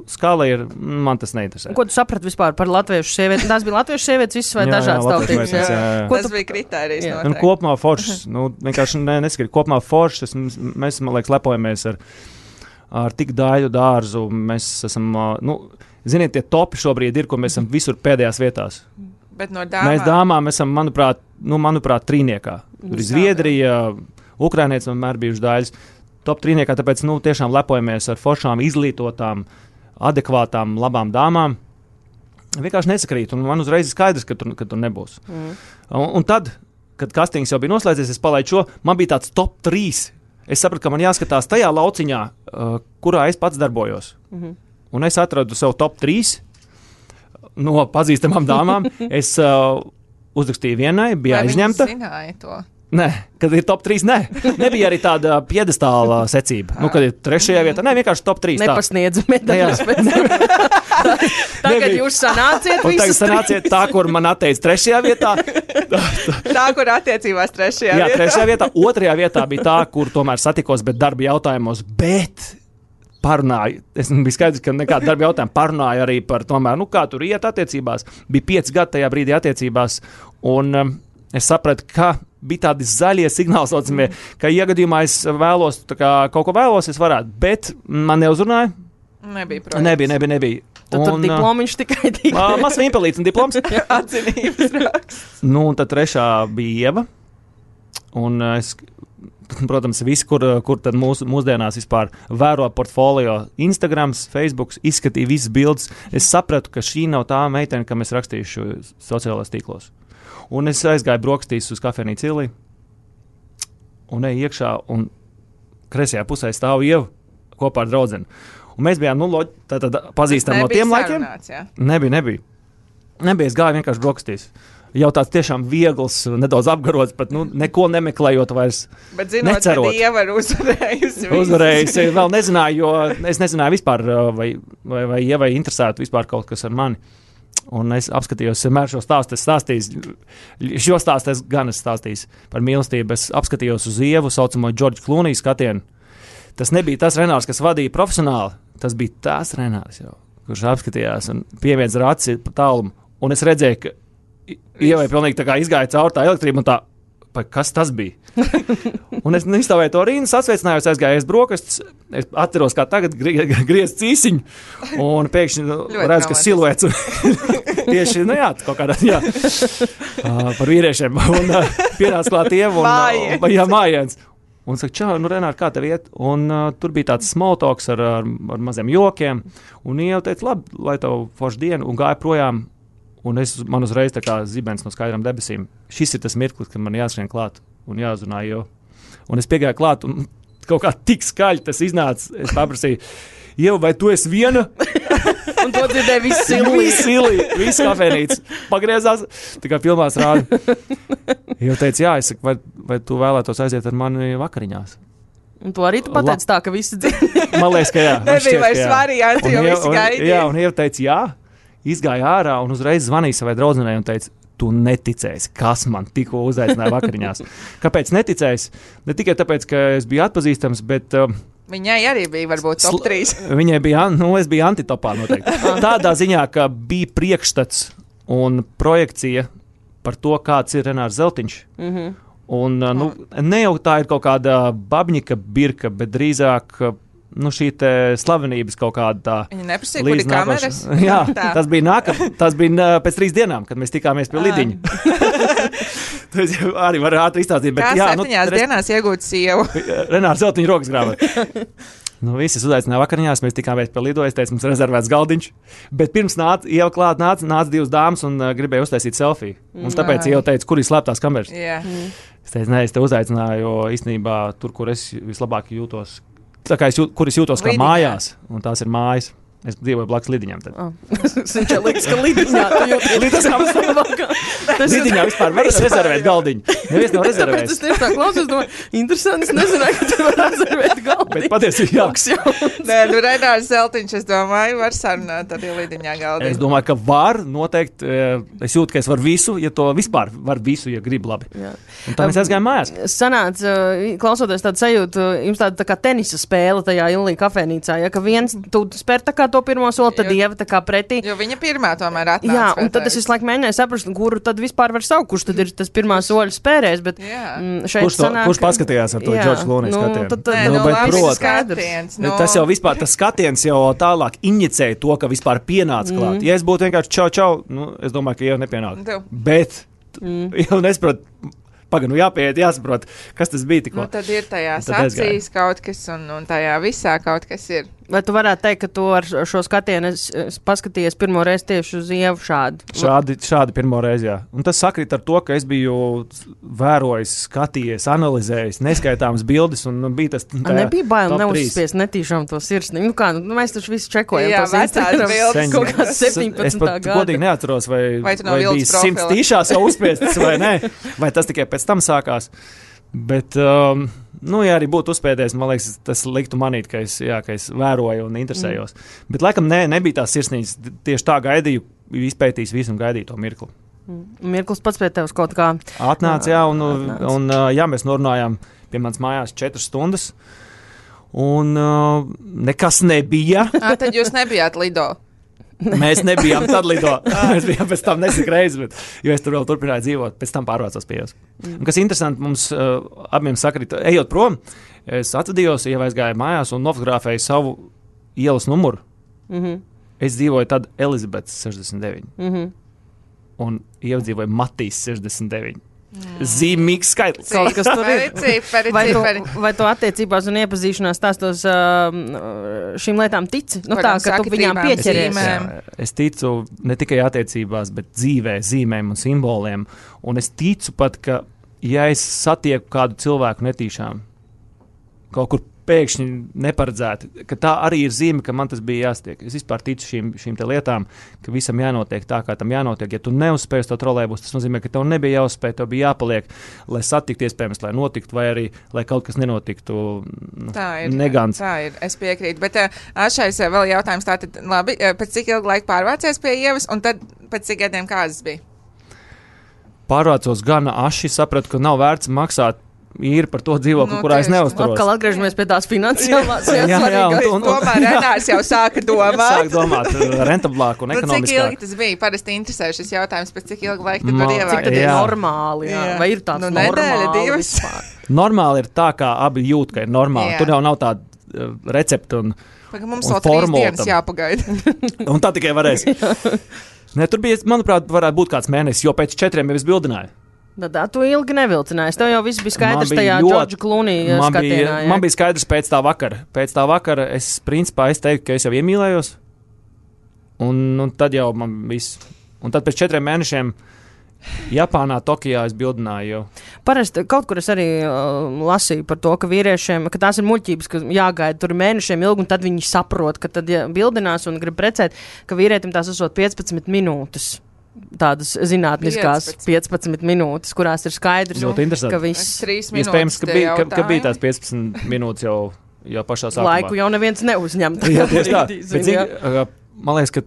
skala ir, man tas neinteresē. Ko tu saprati vispār par latviešu sievieti? Tās bija latviešu sievietes visas vai dažādas tautības? Tas bija kritērijs noteikti. Kopumā foršs, vienkārši neskaidri, kopumā foršs, mēs, man liekas, lepojamies ar tik daļu dārzu, mēs esam, ziniet, tie topi šobrīd ir, ko mēs esam visur pēdējās vietās. Bet no dāmām? Mēs dāmām esam, manuprāt, trīniekā. Tur ir Zviedrija, Ukrainietis vienmēr bijuši daļas. Top trīniekā, tāpēc tiešām lepojamies ar foršām, izglītotām, adekvātām, labām dāmām. Vienkārši nesakrīt, un man uzreiz ir skaidrs, ka tur nebūs. Un tad, kad kastings jau bija noslēdzies, es palaidu šo, man bija tāds top 3. Es sapratu, ka man jāskatās tajā lauciņā, kurā es pats darbojos. Un es atradu sev top 3 no pazīstamām dāmām. Es uzrakstīju vienai, bija aizņemta. Vai viņi zināja to? Nē, kad ir top 3, nebija arī tāda piedestāla secība. Kad ir 3. vietā, vienkārši top 3. Nepasniedzu medaļas pēc tam. Tagad jūs sanāciet visus. Tagad sanāciet tā, kur man atteica 3. vietā. Tā, kur attiecībās 3. vietā. Jā, 3. vietā. 2. vietā bija tā, kur tomēr satikos, bet darba jautājumos, parunāju. Es biju skaidrs, ka nekāda darba jautājuma parunāju arī par tomēr, kā tur iet attiecībās. Bija 5 gadi tajā brīdī attiecībās, un es sapratu, ka bija tādi zaļie signāli, saucamie, ka iegadījumā es vēlos, kaut ko vēlos, es varētu, bet man neuzrunāja. Nebija projekts. Nebija. Tur diplomiņš tikai. Mazs vimpelīts un diploms. Atzinības raksts. Un tad 3. bija Ieva, un es, protams, visi, kur tad mūsdienās vispār vēro portfolio, Instagrams, Facebooks, izskatīja visas bildes, es sapratu, ka šī nav tā meitene, kam es rakstīšu sociālajos tīklos. Un es aizgāju brokastīs uz kafejnīcu Ilī, un eju iekšā, un kreisajā pusē stāv Ieva kopā ar draudzeni. Un mēs bijām, tātad pazīstam no tiem laikiem. Nebija. Es gāju vienkārši brokastīs. Jau tāds tiešām viegls, nedaudz apgarots, pat neko nemeklējot vairs. Bet zinot, necerot. Ka Ieva ir uzvarējusi. Vēl nezināju, jo es nezināju vispār, vai Ievai interesētu vispār kaut kas ar mani. Un es apskatījos, vienmēr šo stāstu šo stāstu es gan stāstīju par mīlestību. Es apskatījos uz Ievu, saucamo Džordžu Klūniju skatienu. Tas nebija tas Renārs, kas vadīja profesionāli. Tas bija tās Renārs, kurš apskatījās un pieviedz ar aci tālumu. Un es redzēju, ka Ievai pilnīgi tā kā izgāja caur tā elektrība un tā, kas tas bija? Un es izstāvēju to rīnu, sasveicinājos, aizgāju brokastis, es atceros, kā tagad griez cīsiņu, un pēkšņi redzu, ka siluets tieši, kaut kādā, par vīriešiem, un pienāca klāt Ievu, un mājiens. Un saka, čau, Renār, kā tev iet? Un tur bija tāds small talks ar maziem jokiem, un Ieva teica, labi, lai tev forša diena, un gāja projām. Un man uzreiz tā kā zibens no skaidrām debesīm. Šis ir tas mirklis, kad man jāskrien klāt un jāzunā jau. Un es piegāju klāt un kaut kā tik skaļi tas iznāca. Es paprasīju, Ieva, vai tu esi viena? Un to dzirdēja visi visi kafejnīca. Pagriezās, tā kā filmās rāda. Ieva teica, jā, es saku, vai tu vēlētos aiziet ar mani vakariņās? Un to arī tu pateici tā, ka visi dzirdēja. Man liekas, ka jā. Nebija vairs varianti, jo visi gaidīja. Jā, un Ieva teica, jā. Izgāja ārā un uzreiz zvanīja savai draudzenei un teica, tu neticēsi, kas man tikko uzaicināja vakariņās. Kāpēc neticēsi? Ne tikai tāpēc, ka es biju atpazīstams, bet... Viņai arī bija varbūt top 3. Viņai bija, es biju antitopā noteikti. Tādā ziņā, ka bija priekšstats un projekcija par to, kāds ir Renārs Zeltiņš. Un ne jau tā ir kaut kāda babņika birka, bet drīzāk... šī slavenības kaut kāda tā. Viņa neprasīja, kur ir kameras? Jā, tas bija pēc 3 dienām, kad mēs tikāmies pie Lidiņa. Tas arī var ātri izstāstīt. Kā 7 dienās iegūt Sievu? Renārs Zeltiņa rokas grāmatu. Visi uzaicināja vakariņās, mēs tikāmies pie Lido, es teicu, mums rezervēts galdiņš. Bet pirms Ieva klāt nāca 2 dāmas un gribēja uztaisīt selfiju. Un tāpēc Ieva teica, kur ir slēptās kameras. Es teicu, nē, es te uzaicināju, jo īstenībā tur, kur es vislabāk jūtos. Tā kā kur es jūtos kā mājās, un tās ir mājas. Es dzīvoju blakus Lidiņām. Viņš jau liekas, ka Lidiņā tu jūties labāk. Lidiņā vispār var rezervēt galdiņu. Neviens nav rezervējis. Tāpēc es tieši tā klausos, domāju, interesanti, es nezināju, ka tu var rezervēt galdiņu. Bet patiesībā jā. Nē, Renārs Zeltiņš, es domāju, var sarunāt arī Lidiņā galdiņu. Es domāju, ka var noteikti. Es jūtu, ka es varu visu, ja to vispār var visu, ja grib labi. Jā. Un tā mēs aizgājām mājās. Sanāca, klausoties tādu sajūtu, jums tāda tā kā tenisa spēle tajā Ilī kafēnīcā, ja, ka viens, tu spēr tā kā to pirmo soli, tad Ieva tā kā pretī. Jo viņa pirmā tomēr atnāca. Jā, un tad es visu laiku mēģināju saprast, kuru tad vispār var saukt, kurš tad ir tas pirmā soļa spērējs, bet šeit sanāk... Kurš paskatījās ar to Džordžu Klūnī skatienu? Skatiens. Tas jau vispār, tas skatiens jau tālāk injicēja to, ka vispār pienāca klāt. Ja es būtu vienkārši čau, es domāju, ka Ieva nepienāk. Bet jau nesaprot, jāpieiet, jāsaprot, kas tas bija tikko. Tad ir tajās acīs kaut kas un tajā visā kaut kas ir. Vai tu varētu teikt, ka tu ar šo skatienu paskatījies pirmo reizi tieši uz Ievu šādi? Šādi pirmo reizi, jā. Un tas sakrīt ar to, ka es biju vērojis, skatījies, analizējis, neskaitāmas bildes, un bija tas... Nebija bail neuzspiest netīšām to sirsni. Nu kā, mēs taču visi čekojam tos Instagram bildes. Kaut kāds 17. Es pat godīgi neatceros, vai bija 100 tīšās jau uzspiestas vai nē, vai tas tikai pēc tam sākās. Bet, ja arī būtu uzspēdējis, man liekas, tas liktu manīt, ka es vēroju un interesējos. Bet, laikam, nebija tās sirsnīgas. Tieši tā gaidīju, izpētījis visu un gaidīju to mirkli. Mirklis pats pie tevis kaut kā... Atnāca, jā, un mēs norunājām pie manas mājās 4 stundas, un nekas nebija. Tad jūs nebijāt Lido? Mēs nebijām tad Lido. Mēs bijām pēc tam nesikreiz, jo es tur vēl turpināju dzīvot. Pēc tam pārvācos pie jūs. Un kas interesanti, mums abiem sakrīt, ejot prom, es atvadījos, aizgāju mājās un nofotografēju savu ielas numuru. Es dzīvoju tad Elizabetes 69. Un iedzīvoju Matīs 69. Zīmīgs skaitlis. Kaut kas tur ir. Vai tu attiecībās un iepazīšanās stāstos šīm lietām tici? Nu tā, ka tu viņām pieķeries. Es ticu ne tikai attiecībās, bet dzīvē, zīmēm un simboliem. Un es ticu pat, ka ja es satieku kādu cilvēku netīšām, kaut kur pēkšņi neparedzēti, ka tā arī ir zīme, ka man tas bija jāstiek. Es vispār ticu šīm te lietām, ka visam jānotiek tā, kā tam jānotiek. Ja tu neuzspēji to trolēbus, tas nozīmē, ka tev nebija jāuzspēj, tev bija jāpaliek, lai satiktu iespējams, lai notiktu, vai arī, lai kaut kas nenotiktu negans. Tā ir, es piekrītu. Bet šais vēl jautājums tātad, labi, pēc cik ilgu laiku pārvācies pie Ievas, un tad pēc cik gadiem kādas bija? Pārvācos gana aši, sapratu, ka nav vērts maksāt ir par to dzīvokli, kurā es neuzturos. Atkal atgriežamies pie tās finansiālās. Jā, tomēr Renārs jau sāka domāt. Sāk domāt rentablāk un ekonomiskāk. Cik ilgi tas bija? Parasti interesē šis jautājums, pēc cik ilgi laika tad var ievākt? Cik tad ir normāli? Jā. Vai ir tāds nedēļa, divas? Normāli ir tā, kā abi jūt, ka ir normāli. Tur jau nav tāda recepta un formula. Mums vēl 3 dienas jāpagaida. Un tā tikai varēs. Tur bija, manuprāt, varētu būt kāds mēnesis, jo pēc 4 jau es bildināju. Tā tu ilgi nevilcinājies. Tev jau viss bija skaidrs tajā Džordža Klūnī skatienā. Man bija skaidrs pēc tā vakara. Pēc tā vakara es teiktu, ka es jau iemīlējos. Un tad jau man viss. Un tad pēc 4 mēnešiem Japānā, Tokijā es bildināju jau. Parasti kaut kur es arī lasīju par to, ka vīriešiem, ka tās ir muļķības, ka jāgaida tur mēnešiem ilgi, un tad viņi saprot, ka tad, ja bildinās un grib precēt, ka vīrietim tās esot 15 minūtes. Tādas zinātniskās 15 minūtes, kurās ir skaidrs, ka viss 3 minūtes. Iespējams, ka bija tās 15 minūtes jau pašā sākumā. Laiku jau neviens neuzņem. Jā, tieši tā. Man liekas, ka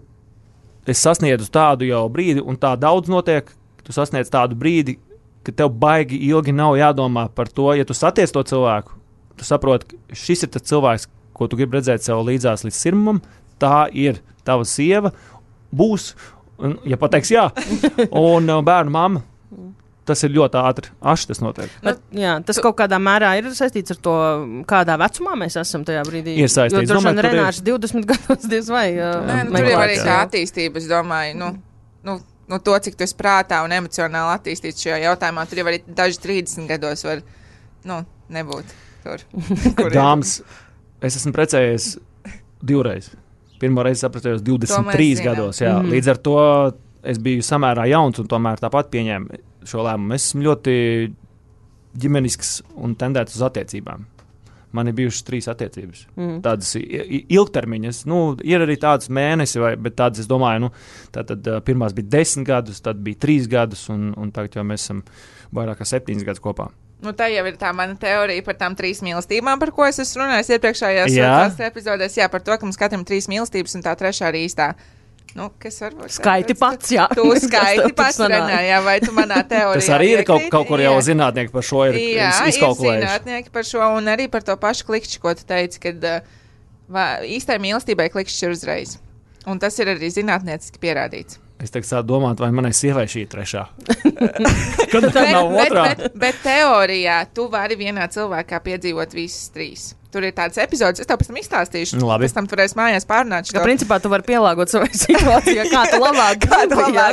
es sasniedzu tādu jau brīdi, un tā daudz notiek, tu sasniedz tādu brīdi, ka tev baigi ilgi nav jādomā par to, ja tu satiec to cilvēku, tu saproti, ka šis ir tas cilvēks, ko tu gribi redzēt sev līdzās līdz sirmam, tā ir tava sieva, būs. Un, ja pateiks jā, un bērnu mamma, tas ir ļoti ātri. Aši tas notiek. Bet, jā, tas kaut kādā mērā ir saistīts ar to, kādā vecumā mēs esam tajā brīdī. Ir saistīts. Jo droši vien Renārs 20 gados diez vai. Tur jau arī tā attīstība, es domāju, to, cik tu esi prātā un emocionāli attīstīts šajā jautājumā, tur jau arī daži 30 gados var, nebūt tur. Dāmas, es esmu precējies 2 reizes. Pirmo reizi sapratījos 23 gados. Jā. Līdz ar to es biju samērā jauns un tomēr tāpat pieņēmu šo lēmumu. Es esmu ļoti ģimenisks un tendēts uz attiecībām. Man ir bijušas 3 attiecības. Tādas ilgtermiņas. Ir arī tādas mēnesi, bet tādas, es domāju, tātad pirmās bija 10 gadus, tad bija 3 gadus, un tagad jau mēs esam vairāk kā 7 gadus kopā. Tā jau ir tā mana teorija par tām 3 mīlestībām, par ko es esmu runājis iepriekšējās epizodēs. Jā, par to, ka mums katram 3 mīlestības, un tā 3. arī īstā. Kas varbūt skaiti pats, jā. Tu skaiti pats, Renā, vai tu manā teorijā tas arī ir kaut kur jau zinātnieki par šo ir izkalkulējuši. Jā, ir zinātnieki par šo, un arī par to pašu klikšķi, ko tu teici, kad īstai mīlestībai klikšķi ir uzreiz. Un tas ir arī zinātnieciski pierādīts. Es tagad sāku domāt, vai manai sievai šī ir 3. Kad tā nav 2. Bet teorijā tu vari vienā cilvēkā piedzīvot visas 3. Tur ir tāds epizods, es tev pēc tam izstāstīšu. Pēc tam tu varēsi mājās pārunāt. Ka principā tu vari pielāgot savai situācijai, kā tu labāk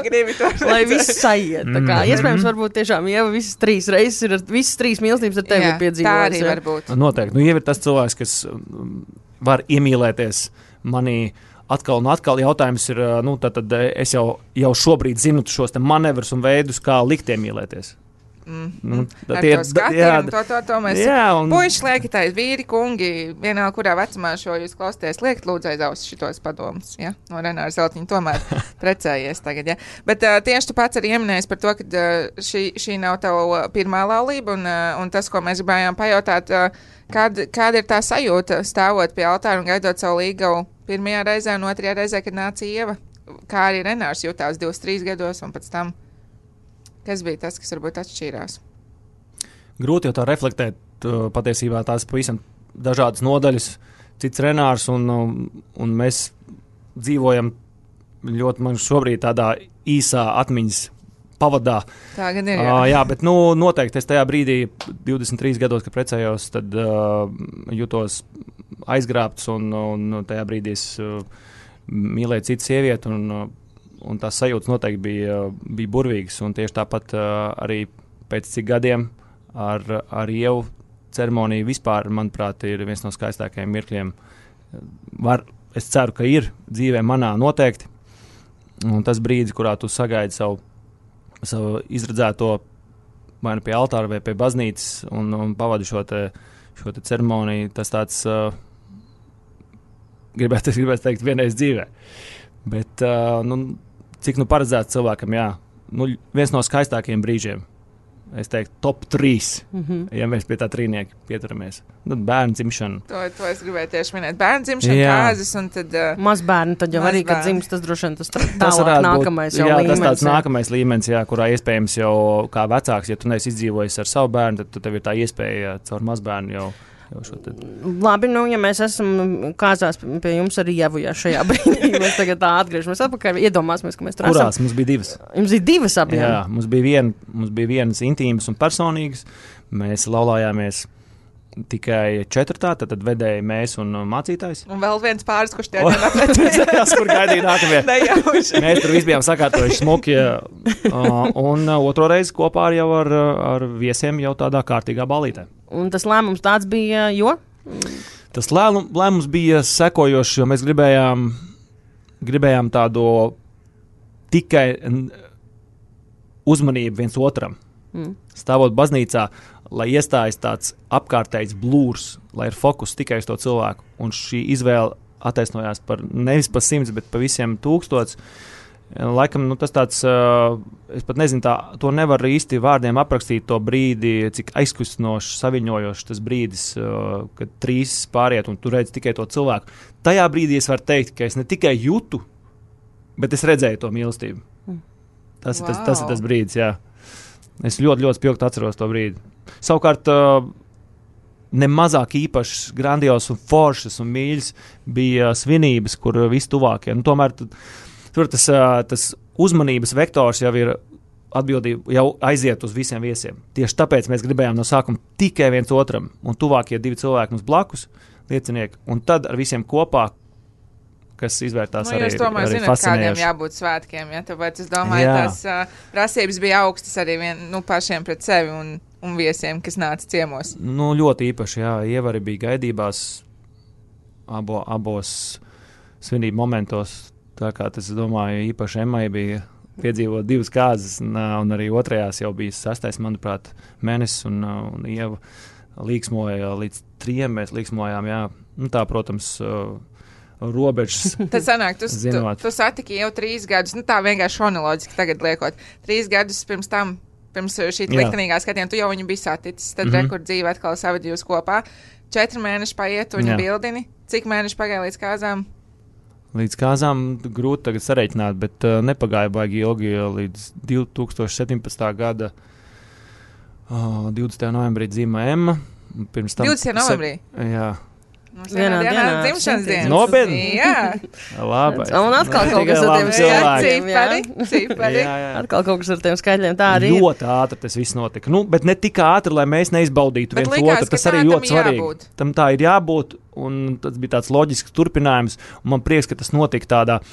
gribi to. Lai viss sajiet. Tā kā iespējams varbūt tiešām Ieva visas 3 reizes ir, visas 3 mīlestības ar tevi piedzīvojis. Tā arī var būt. Noteikti. Ieva ir tas cilvēks, kas var iemīlēties manī atkal un atkal. Jautājums ir, tad es jau šobrīd zinu šos te manevrus un veidus, kā likt iemīlēties. To mēs puiši liekitais, vīri, kungi, vienalga, kurā vecumā šo jūs klausties, liekat lūdzu aiz ausis šitos padomus, ja? No Renāra Zeltiņa tomēr precējies tagad, ja? Bet tieši tu pats arī ieminējies par to, ka šī nav tava pirmā laulība, un tas, ko mēs gribējām pajautāt, kāda ir tā sajūta stāvot pie altāra un gaidot savu līgavu pirmajā reizē un otrajā reizē, kad nāca Ieva, kā arī Renārs jutās 23 gados un pēc tam. Kas bija tas, kas varbūt atšķīrās? Grūti jau tā reflektēt, patiesībā tās pavisam dažādas nodaļas, cits Renārs, un mēs dzīvojam ļoti man šobrīd tādā īsā atmiņas pavadā. Tā gan ir, jā, bet noteikti es tajā brīdī, 23 gados, kad precējos, tad jutos aizgrābts, un tajā brīdī es mīlēju citu sievieti, un tās sajūtas noteikti bija burvīgas, un tieši tāpat arī pēc cik gadiem ar Ievu ceremoniju vispār, manuprāt, ir viens no skaistākajiem mirkļiem. Es ceru, ka ir dzīvē manā noteikti, un tas brīdis, kurā tu sagaidi savu izredzēto vai nu pie altāra vai pie baznīcas un pavadi šo te ceremoniju, tas tāds, gribētu teikt, vienreiz dzīvē. Bet, cik paredzēts cilvēkam, jā, viens no skaistākajiem brīžiem, es teiktu, top 3, ja mēs pie tā trīnieka pieturamies. Bērnu dzimšana. To es gribēju tieši minēt. Bērnu dzimšana, kāzas un tad... Mazbērni, tad jau arī, kad dzims, tas droši vien tas tālāk nākamais jau līmenis. Jā, tas tāds nākamais līmenis, jā, kurā iespējams jau kā vecāks, ja tu neesi izdzīvojis ar savu bērnu, tad tev ir tā iespēja caur mazbērnu jau Labi, ja mēs esam kāzās pie jums arī Ievu, ja šajā brīdī mēs tagad tā atgriežamies atpakaļ, iedomāsimies, ka mēs tur esam. Kurās? Mums bija 2. Jums bija 2 abiem? Jā, mums bija vienas intīmas un personīgas. Mēs laulājāmies tikai 4, tad vedēja mēs un mācītājs. Un vēl viens pāris, kurš tie neprecējās. Kur gaidīja nākamie. Mēs tur visi bijām sakārtojuši smuki. Un otro reizi kopā jau ar viesiem jau tādā kārtīgā balītē. Un tas lēmums tāds bija, jo? Tas lēmums bija sekojošs, jo mēs gribējām tādu tikai uzmanību viens otram. Stāvot baznīcā, lai iestājas tāds apkārtējs blūrs, lai ir fokus tikai uz to cilvēku. Un šī izvēle attaisnojās nevis par 100, bet par visiem 1000. Laikam, tas tāds, es pat nezinu, to nevar īsti vārdiem aprakstīt to brīdi, cik aizkustinošs, saviņojošs tas brīdis, kad 3 pāriet un tu redzi tikai to cilvēku. Tajā brīdī es varu teikt, ka es ne tikai jūtu, bet es redzēju to mīlestību. Tas ir tas brīdis, jā. Es ļoti, ļoti spilgti atceros to brīdi. Savukārt, nemazāk īpašs, grandios un foršas un mīļas bija svinības, kur visi tuvākie. Tomēr tur tas uzmanības vektors jau ir atbildība, jau aiziet uz visiem viesiem. Tieši tāpēc mēs gribējām no sākuma tikai viens otram, un tuvākie 2 cilvēki mums blakus, liecinieki, un tad ar visiem kopā, kas izvērtās arī fascinējoši. Jūs tomēr zināt, kādiem jābūt svētkiem, ja? Tāpēc es domāju, tās prasības bija augstas arī pašiem pret sevi un viesiem, kas nāca ciemos. Ļoti īpaši, jā, Ieva arī bija gaidībās abos svinību momentos. Tā kā tas, es domāju, īpaši Emmai bija piedzīvot 2 kāzas, un arī otrajās jau bija 6, manuprāt, mēnesis, un Ieva līksmoja līdz 3 mēs liksmojām, jā. Nu, tā, protams, robežas. Tad sanāk, tu satiki jau 3 gadus, nu tā vienkārši chronoloģiski tagad liekot. 3 gadus pirms tam, pirms šī liktenīgā skatiena, tu jau viņu biji saticis, tad rekur dzīve atkal savadījus kopā. 4 mēneši paiet, viņu bildini. Cik mēneši pagāja līdz kāzām? Līdz kāzām grūti tagad sareiķināt, bet nepagāja baigi ilgi līdz 2017. gada 20. novembrī dzīmē Emma. 20. novembrī? Jā. Vienā dienā dzimšanas dienas. Nopietni? Jā. Labi. Un atkal kaut kas ar tiem skaitļiem. Cipari. Atkal kaut kas ar tiem skaitļiem. Tā arī ļoti ātri tas viss notika. Nu, bet ne tik ātri, lai mēs neizbaudītu viens otru. Tas arī ļoti svarīgi. Tam tā ir jābūt. Un tas bija tāds loģisks turpinājums. Un man prieks, ka tas notika tādā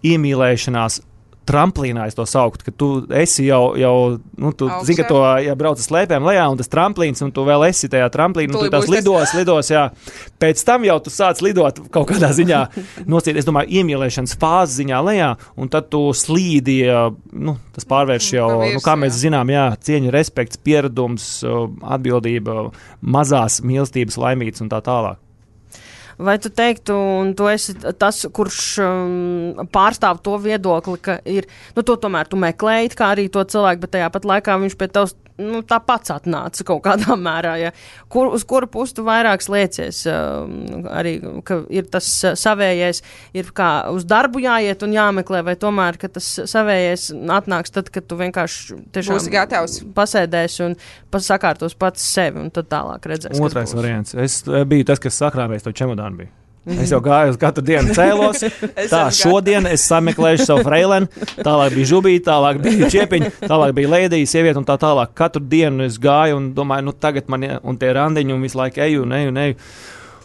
iemīlēšanās tramplīnā, es to sauktu, ka tu esi jau nu, tu zini, ka to brauc ar slēpēm lejā, un tas tramplīns, un tu vēl esi tajā tramplīnā, un tu tās lidos, jā. Pēc tam jau tu sāc lidot kaut kādā ziņā, nosīt, es domāju, iemīlēšanas fāzes ziņā lejā, un tad tu slīdi, nu, tas pārvērš jau, nu, kā mēs zinām, jā, cieņa, respekts, pieredums, atbildība, mazās mīlestības, laimītas un tā tālāk. Vai tu teiktu, un tu esi tas, kurš pārstāv to viedokli, ka ir, nu, to tomēr tu meklēji, kā arī to cilvēku, bet tajā pat laikā viņš pie tevs, nu, tā pats atnāca kaut kādā mērā, ja. Uz kuru pusi tu vairāk sliecies, arī, ka ir tas savējais, ir kā uz darbu jāiet un jāmeklē, vai tomēr, ka tas savējais atnāks tad, kad tu vienkārši tiešām pasēdēs un sakārtos pats sevi, un tad tālāk redzēs, otrais variants. Es biju tas, kas sakrāvēs to čemodānu biju. Es jau gāju uz katru dienu cēlos. Tā, šodien es sameklēšu savu freileni, tālāk bija žubīti, tālāk bija čiepiņi, tālāk bija leidija, sieviete un tā tālāk. Katru dienu es gāju un domāju, nu tagad man un tie randiņi un visu laiku eju.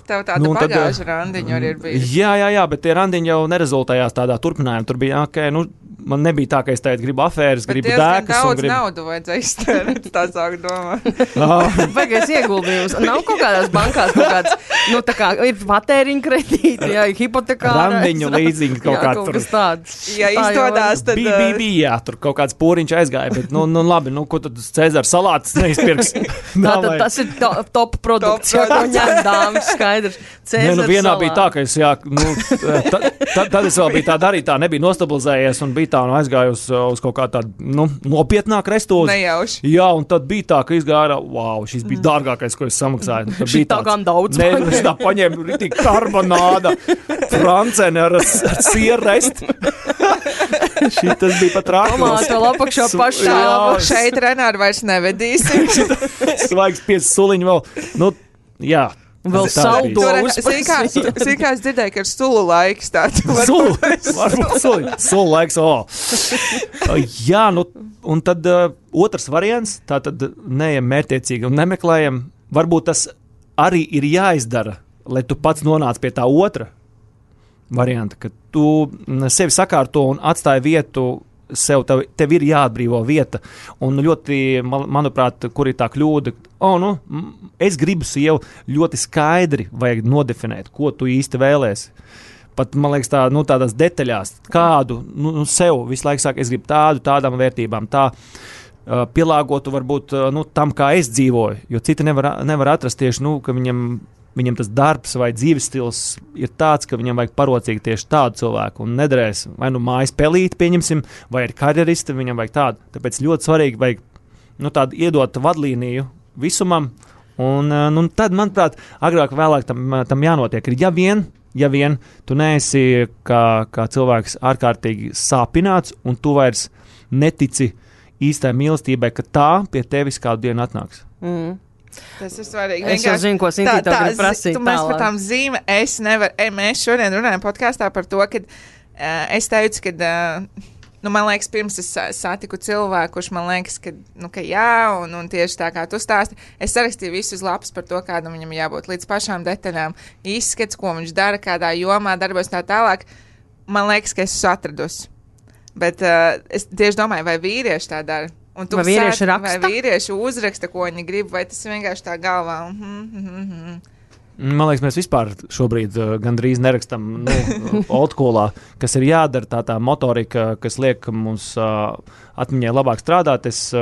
Tev tāda pagājuša randiņa arī ir bijusi. Jā, bet tie randiņi jau nerezultējās tādā turpinājumā. Tur bija, nu, man nebija tā, ka es tagad gribu afēras, gribu dēkas. Bet daudz naudu vajadzēja iztērēt, tā sāk domāt. Vajagais ieguldījums. Nav kaut kādās bankās kaut kāds, nu, tā kā ir patēriņa kredīti, jā, hipotekārais. Randiņu līdzīgi kaut kāds. Kaut kas tāds. Ja izstādās, tad... Bija, tur kaut kāds pūriņš aizgāja, bet, nu labi, nu, ko tad Cēzara salātas neizpirks? Tātad tas ir top produkts, jā, ko ņem dāmas, skaidrs. Nē, nu, vienā bija tā, ka es, jā, nu, tad es vēl biju tā darīt, tā nebija nostabilizējies un bija tā, nu, aizgāju uz kaut kā tādu, nu, nopietnāk restūzi. Nejauši. Jā, un tad bija tā, ka izgāja, wow, šis bija dārgākais, ko es samaksāju. Šī tā gan daudz. Nē, es tā paņēmu ritīgi karbonāda, franceni ar sierrest. Tas bija pat rāklis. Tomātu lapakšā pašā. Šeit Renāri vairs nevedīsim. Svaigs 5 suliņi vēl. Nu, jā. Vēl saldo uzpasīt. Sīkā es dzirdēju, ka ir sulu laiks tāds. Sulu laiks, Jā, nu, un tad otrs variants, tā tad neejam mērķtiecīgi un nemeklējam. Varbūt tas arī ir jāizdara, lai tu pats nonāc pie tā otra varianta, ka tu sevi sakārto un atstāji vietu tev ir jāatbrīvo vieta. Un ļoti, manuprāt, kur ir tā kļūda, es gribu sievu ļoti skaidri vajag nodefinēt, ko tu īsti vēlēsi. Pat, man liekas, tādās detaļās, kādu sev visu laiku saka, es gribu tādām vērtībām, tā pielāgotu varbūt tam, kā es dzīvoju, jo citi nevar atrast tieši, ka viņam tas darbs vai dzīves stils ir tāds, ka viņam vajag parocīgi tieši tādu cilvēku un nederēs vai mājas pelīt, pieņemsim, vai ir karjeristi, viņam vajag tādu. Tāpēc ļoti svarīgi vajag tādu iedot vadlīniju visumam un tad, manuprāt, agrāk vēlāk tam jānotiek. Ja vien tu neesi kā cilvēks ārkārtīgi sāpināts un tu vairs netici īstai mīlestībai, ka tā pie tevis kādu dienu atnāks. Tas ir svarīgi. Es jau zinu, ko Sintī tev grib prasīt. Mēs par tām zīme, mēs šodien runājam podkāstā par to, ka es teicu, ka, man liekas, pirms es satiku cilvēku, kurš man liekas, ka jā, un tieši tā kā tu stāsti, es sarakstīju visu uz lapas par to, kādam viņam jābūt līdz pašām detaļām, izskats, ko viņš dara, kādā jomā darbojas tā tālāk. Man liekas, ka es esmu atradusi. Bet es tieši domāju, vai vīrieši tā dara. Vai vīrieši raksta? Vai vīrieši uzraksta, ko viņi grib, vai tas vienkārši tā galvā? Man liekas, mēs vispār šobrīd gandrīz nerakstam oldskoolā, kas ir jādara tā motorika, kas liek mums atmiņai labāk strādāt. Es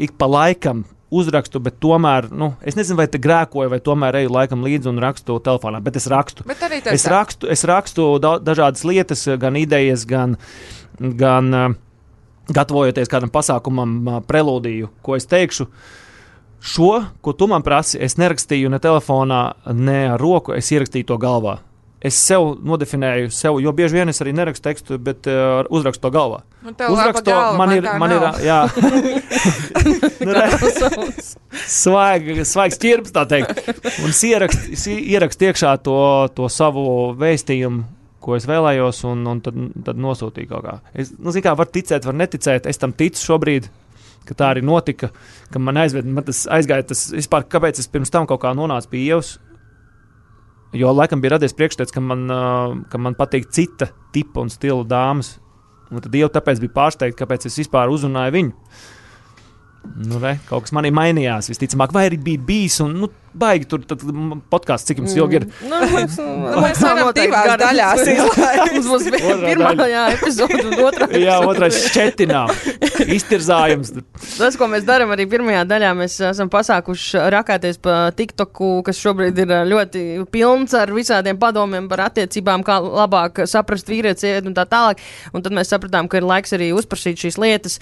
ik pa laikam uzrakstu, bet tomēr, es nezinu, vai te grēkoju, vai tomēr eju laikam līdzi un rakstu telefonā, bet es rakstu. Bet arī Es rakstu dažādas lietas, gan idejas, gan gatavojoties kādam pasākumam, prelūdiju, ko es teikšu. Šo, ko tu man prasi, es nerakstīju ne telefonā, ne ar roku, es ierakstīju to galvā. Es sev nodefinēju, jo bieži vien es arī nerakstu tekstu, bet uzrakstu to galvā. Uzrakstu to, man ir, jā. Svaigs ķirps, tā teikt. Un es ierakstu iekšā to savu vēstījumu, ko es vēlējos, un tad nosūtīju kaut kā. Var ticēt, var neticēt, es tam ticu šobrīd, ka tā arī notika, ka man tas aizgāja, vispār, kāpēc es pirms tam kaut kā nonācu pie Ievas, jo laikam bija radies priekšstats, ka man patīk cita tipa un stila dāmas, un tad Ieva tāpēc bija pārsteigta, kāpēc es vispār uzrunāju viņu. Kaut kas manī mainījās, visticamāk, vai arī bija bijis, un baigi tur podkāsts, cik jums ilgi ir. Mēs varam divās daļās izlaist. Mums būs pirmā epizode un otrā. Jā, otrais šķetinām. Iztirzājums. Tas, ko mēs darām arī pirmajā daļā, mēs esam pasākuši rakāties pa TikToku, kas šobrīd ir ļoti pilns ar visādiem padomiem par attiecībām, kā labāk saprast vīrietis, sievieti un tā tālāk. Un tad mēs sapratām, ka ir laiks arī uzprasīt šīs lietas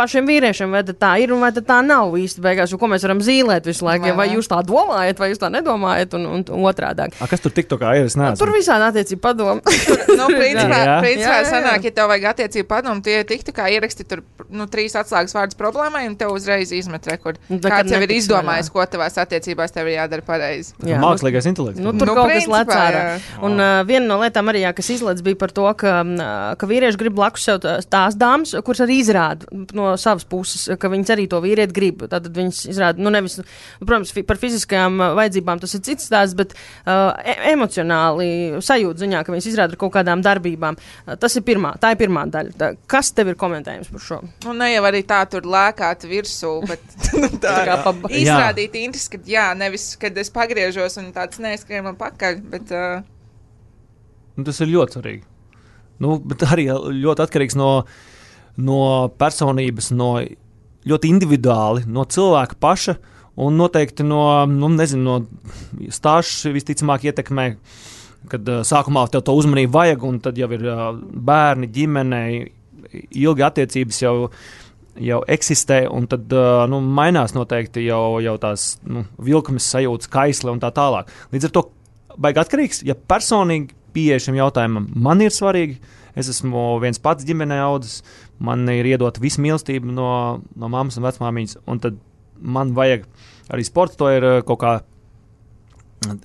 pašiem vīriešiem, vai tā ir un vai tā nav īsti beigās, ko mēs varam zīlēt visu laiku, vai jūs tā domājat, vai jūs tā nedomājat, un otrādāk. Kas tur TikTokā ir? Tur visādi attiecību padomu. Principā sanāk, ja tev vajag attiecību padomu, tie TikTokā ieraksti tur 3 atslēgas vārdus problēmai, un tev uzreiz izmet rekordu. Kāds jau ir izdomājis, ko tavās attiecībās tev ir jādara pareizi. Mākslīgais intelekts. Tur kaut kas lec ārā. Un viena no lietām arī, kas izlec, bija par to, ka vīrieši grib blakus sev tās dāmas, kuras arī izrāda no savas puses, ka viņas arī to vīrieti grib. Tātad viņas izrāda, nevis, protams, par fiziskajām vajadzībām tas ir cits stāsts, bet emocionāli sajūta ziņā, ka viņas izrāda ar kaut kādām darbībām. Tā ir pirmā daļa. Kas tev ir komentējums par šo? Ne jau arī tā tur lēkāt virsū, bet izrādīt interesi, ka nevis, kad es pagriežos un tāds neeskrien man pakaļ, bet... Tas ir ļoti svarīgi. Bet arī ļoti atkarīgs no personības, ļoti individuāli, no cilvēka paša, un noteikti no stāžu visticamāk ietekmē, kad sākumā tev to uzmanību vajag, un tad jau ir bērni, ģimene, ilgi attiecības jau eksistē, un tad mainās noteikti jau tās vilkmes sajūtas, kaisle un tā tālāk. Līdz ar to baigi atkarīgs, ja personīgi pieeja šim jautājumam man ir svarīgi, es esmu viens pats ģimenē audzis, man ir iedota visu mīlestību no mammas un vecmāmiņas, un tad man vajag arī sports, to ir kaut kā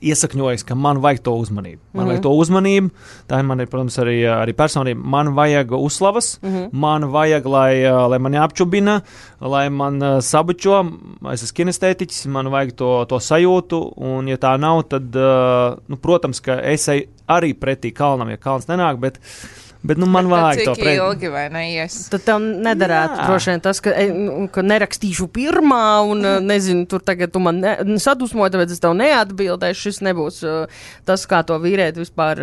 iesakņojis, ka man vajag to uzmanību. Man vajag to uzmanību, tā ir man, protams, arī personība. Man vajag uzslavas, man vajag, lai mani apčubina, lai man sabučo, es esmu kinestētiķis, man vajag to sajūtu, un ja tā nav, tad, protams, ka es arī pretī kalnam, ja kalns nenāk, bet man vajag to pretī. Cik ilgi vai neies? Tad tev nedarētu droši vien tas, ka nerakstīšu pirmā un nezinu, tur tagad tu man sadusmoji, tāpēc es tev neatbildēšu, šis nebūs tas, kā to vīrieti vispār.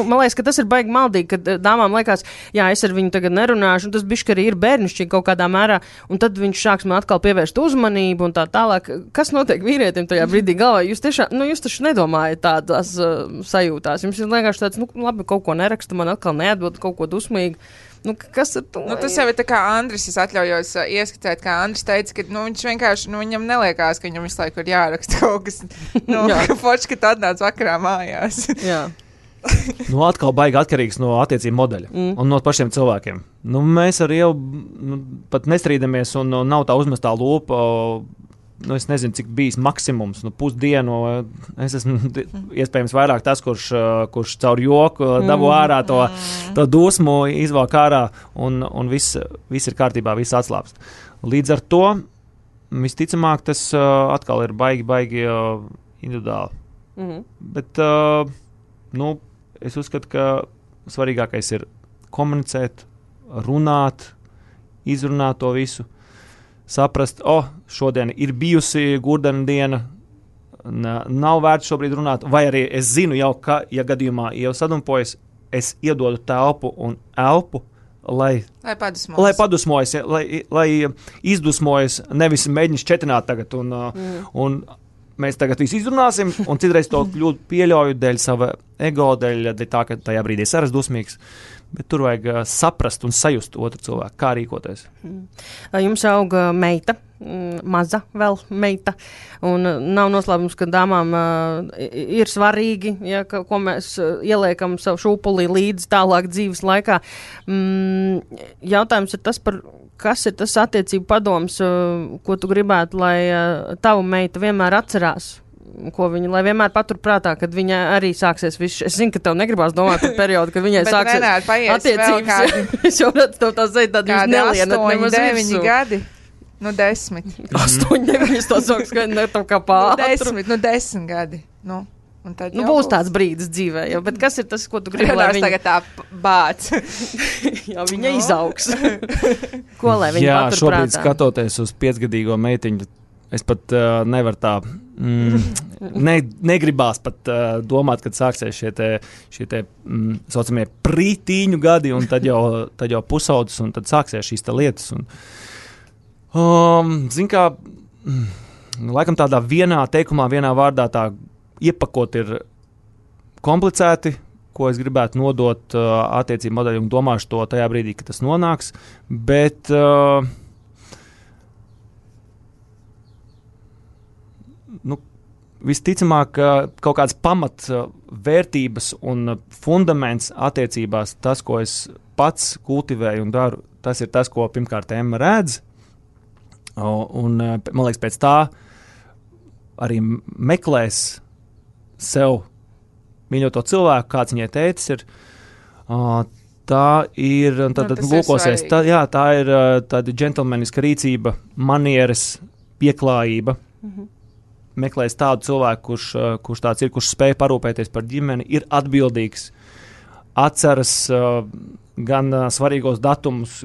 Man liekas, ka tas ir baigi maldīgi, kad dāmām liekas, es ar viņu tagad nerunāšu, un tas bišķi arī ir bērnišķīgi kaut kādā mērā, un tad viņš sāks man atkal pievērst uzmanību un tā tālāk. Kas notiek vīrietim tajā brīdī galvā? Jūs tiešām, jūs taču nedomājat tādās sajūtās. Jums ir vienkārši tāds, labi, kaut ko neraksta, man atkal neatbild kaut ko dusmīgu. Kas ar to? Tas jau ir tā kā Andris, es atļaujos ieskatīt, kā Andris teica, ka viņš vienkārši, viņam neliekās, ka viņam visu laiku ir jāraksta kaut kas, ka forši, ka tu atnāc vakarā mājās. Jā. Atkal baigi atkarīgs no attiecību modeļa un no pašiem cilvēkiem. Mēs arī jau pat nestrīdamies un nav tā uzmestā lūpa. Es nezinu, cik bijis maksimums, pusdienu. Es esmu iespējams vairāk tas, kurš caur joku dabū ārā to dusmu, izvāk ārā, un viss ir kārtībā, viss atslāpst. Līdz ar to, visticamāk, tas atkal ir baigi individuāli. Bet, es uzskatu, ka svarīgākais ir komunicēt, runāt, izrunāt to visu. Saprast, šodien ir bijusi gurdena diena, nav vērts šobrīd runāt, vai arī es zinu jau, ka, ja gadījumā jau sadumpojas, es iedodu telpu un elpu, lai padusmojas, lai izdusmojas, nevis mēģina šķetināt tagad. Un mēs tagad visu izrunāsim, un citreiz to kļūdu pieļauju dēļ sava ego, dēļ tā, ka tajā brīdī es arī dusmīgs. Bet tur vajag saprast un sajust otru cilvēku, kā rīkoties. Jums auga meita, maza vēl meita, un nav noslēpums, ka dāmām ir svarīgi, ja, ko mēs ieliekam savu šūpulī līdz tālāk dzīves laikā. Jautājums ir tas par, kas ir tas attiecību padoms, ko tu gribētu, lai tavu meita vienmēr atcerās? Ko viņa, lai vienmēr paturprātā, kad viņa arī sāksies viss. Es zinu, ka tev negribās domāt par periodu, kad viņai sāksies attiecības. Es jau redzu tev tā zēt, tad jūs nelienat nemaz 9 gadi. 10. 8, 9, es to saku, ka ne tev kā pātru. 10 gadi. Būs tāds brīdis dzīvē, jau, bet kas ir tas, ko tu gribi, lai viņa... tagad tā bāc. Jā, viņa izaugs. Ko, lai viņa paturprātā? Jā, šobrīd skatoties uz 5-gadīgo meitiņu, es pat nevaru tā, negribās pat domāt, kad sāksies šie te saucamie prītīņu gadi, un tad jau pusaudzes, un tad sāksies šīs lietas. Zin kā, laikam tādā vienā teikumā, vienā vārdā tā iepakot ir komplicēti, ko es gribētu nodot attiecību modeļu, un domāšu to tajā brīdī, kad tas nonāks, bet... visticamāk, kaut kāds pamatvērtības un fundaments attiecībās, tas, ko es pats kultivēju un daru, tas ir tas, ko pirmkārt Emma redz. Un, man liekas, pēc tā arī meklēs sev mīļoto cilvēku, kāds viņai tētis ir. Tā ir, un tad lūkosies, tā ir tāda džentelmeniska rīcība, manieres, pieklājība. Meklēs tādu cilvēku, kurš tāds ir, kurš spēj parūpēties par ģimeni, ir atbildīgs, atceras gan svarīgos datumus,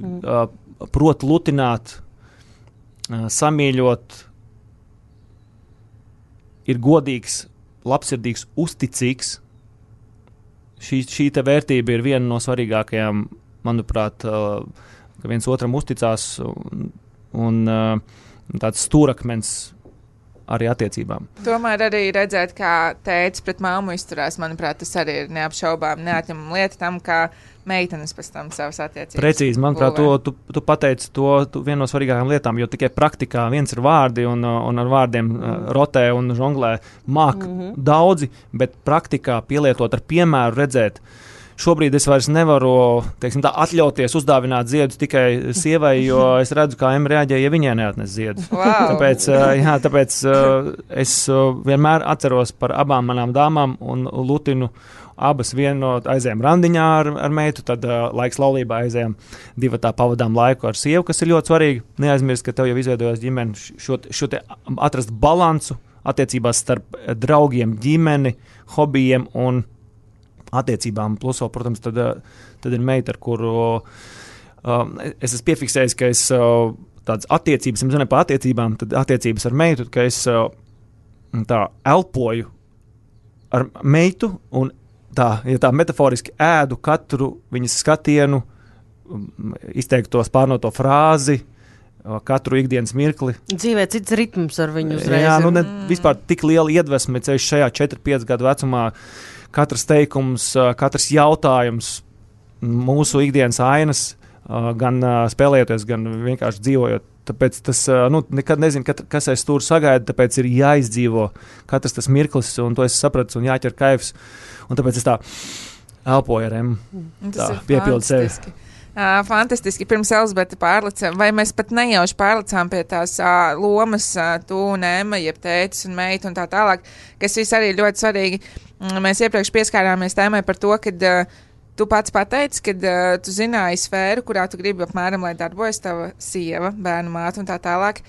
prot lutināt, samīļot, ir godīgs, labsirdīgs, uzticīgs. Šī te vērtība ir viena no svarīgākajām, manuprāt, ka viens otram uzticās un tāds stūrakmens arī attiecībām. Tomēr arī redzēt, kā tētis pret māmu izturās, manuprāt, tas arī ir neapšaubām neatņemama lieta tam, kā meitenes pēc tam savas attiecības. Precīzi, manuprāt, tu pateici to vienu no svarīgākajām lietām, jo tikai praktikā viens ir vārdi un ar vārdiem rotē un žonglē māk daudzi, bet praktikā pielietot ar piemēru redzēt. Šobrīd es vairs nevaru, teiksim tā, atļauties uzdāvināt ziedus tikai sievai, jo es redzu, kā Emma reaģēja, ja viņai neatnes ziedus. Wow. Tāpēc es vienmēr atceros par abām manām dāmām un lutinu abas aizējām randiņā ar meitu, tad laiks laulībā aizējām divatā pavadām laiku ar sievu, kas ir ļoti svarīgi. Neaizmirst, ka tev jau izveidojās ģimeni, šo te atrast balansu attiecībās starp draugiem, ģimeni, hobijiem un attiecībām. Plus, protams, tad ir meita, ar kuru es esmu piefiksējis, ka es tādas attiecības, es runāju par attiecībām, tad attiecības ar meitu, ka es tā elpoju ar meitu un tā metaforiski ēdu katru viņas skatienu, izteikto spārnoto frāzi, katru ikdienas mirkli. Dzīvē cits ritms ar viņu uzreiz. Jā, vispār tik liela iedvesme ceļš šajā 4-5 gadu vecumā. Katrs teikums, katrs jautājums, mūsu ikdienas ainas, gan spēlējoties, gan vienkārši dzīvojot. Tāpēc tas, nekad nezinu, kas aiz stūra sagaida, tāpēc ir jāizdzīvo katrs tas mirklis, un to es sapratu, un jāķer kaifs. Un tāpēc es tā elpoju ar Emmu. Tā piepildu sevi. Fantastiski. Pirms Elizabete pārlicām, vai mēs pat nejauši pārlicām pie tās lomas, tu un Emma, jeb tētis un meita un tā tālāk, kas viss arī ļoti svarīgi. Mēs iepriekš pieskārāmies tēmai par to, kad tu pats pateici, kad tu zināji sfēru, kurā tu gribi apmēram, lai darbojas tava sieva, bērnu māte un tā tālāk.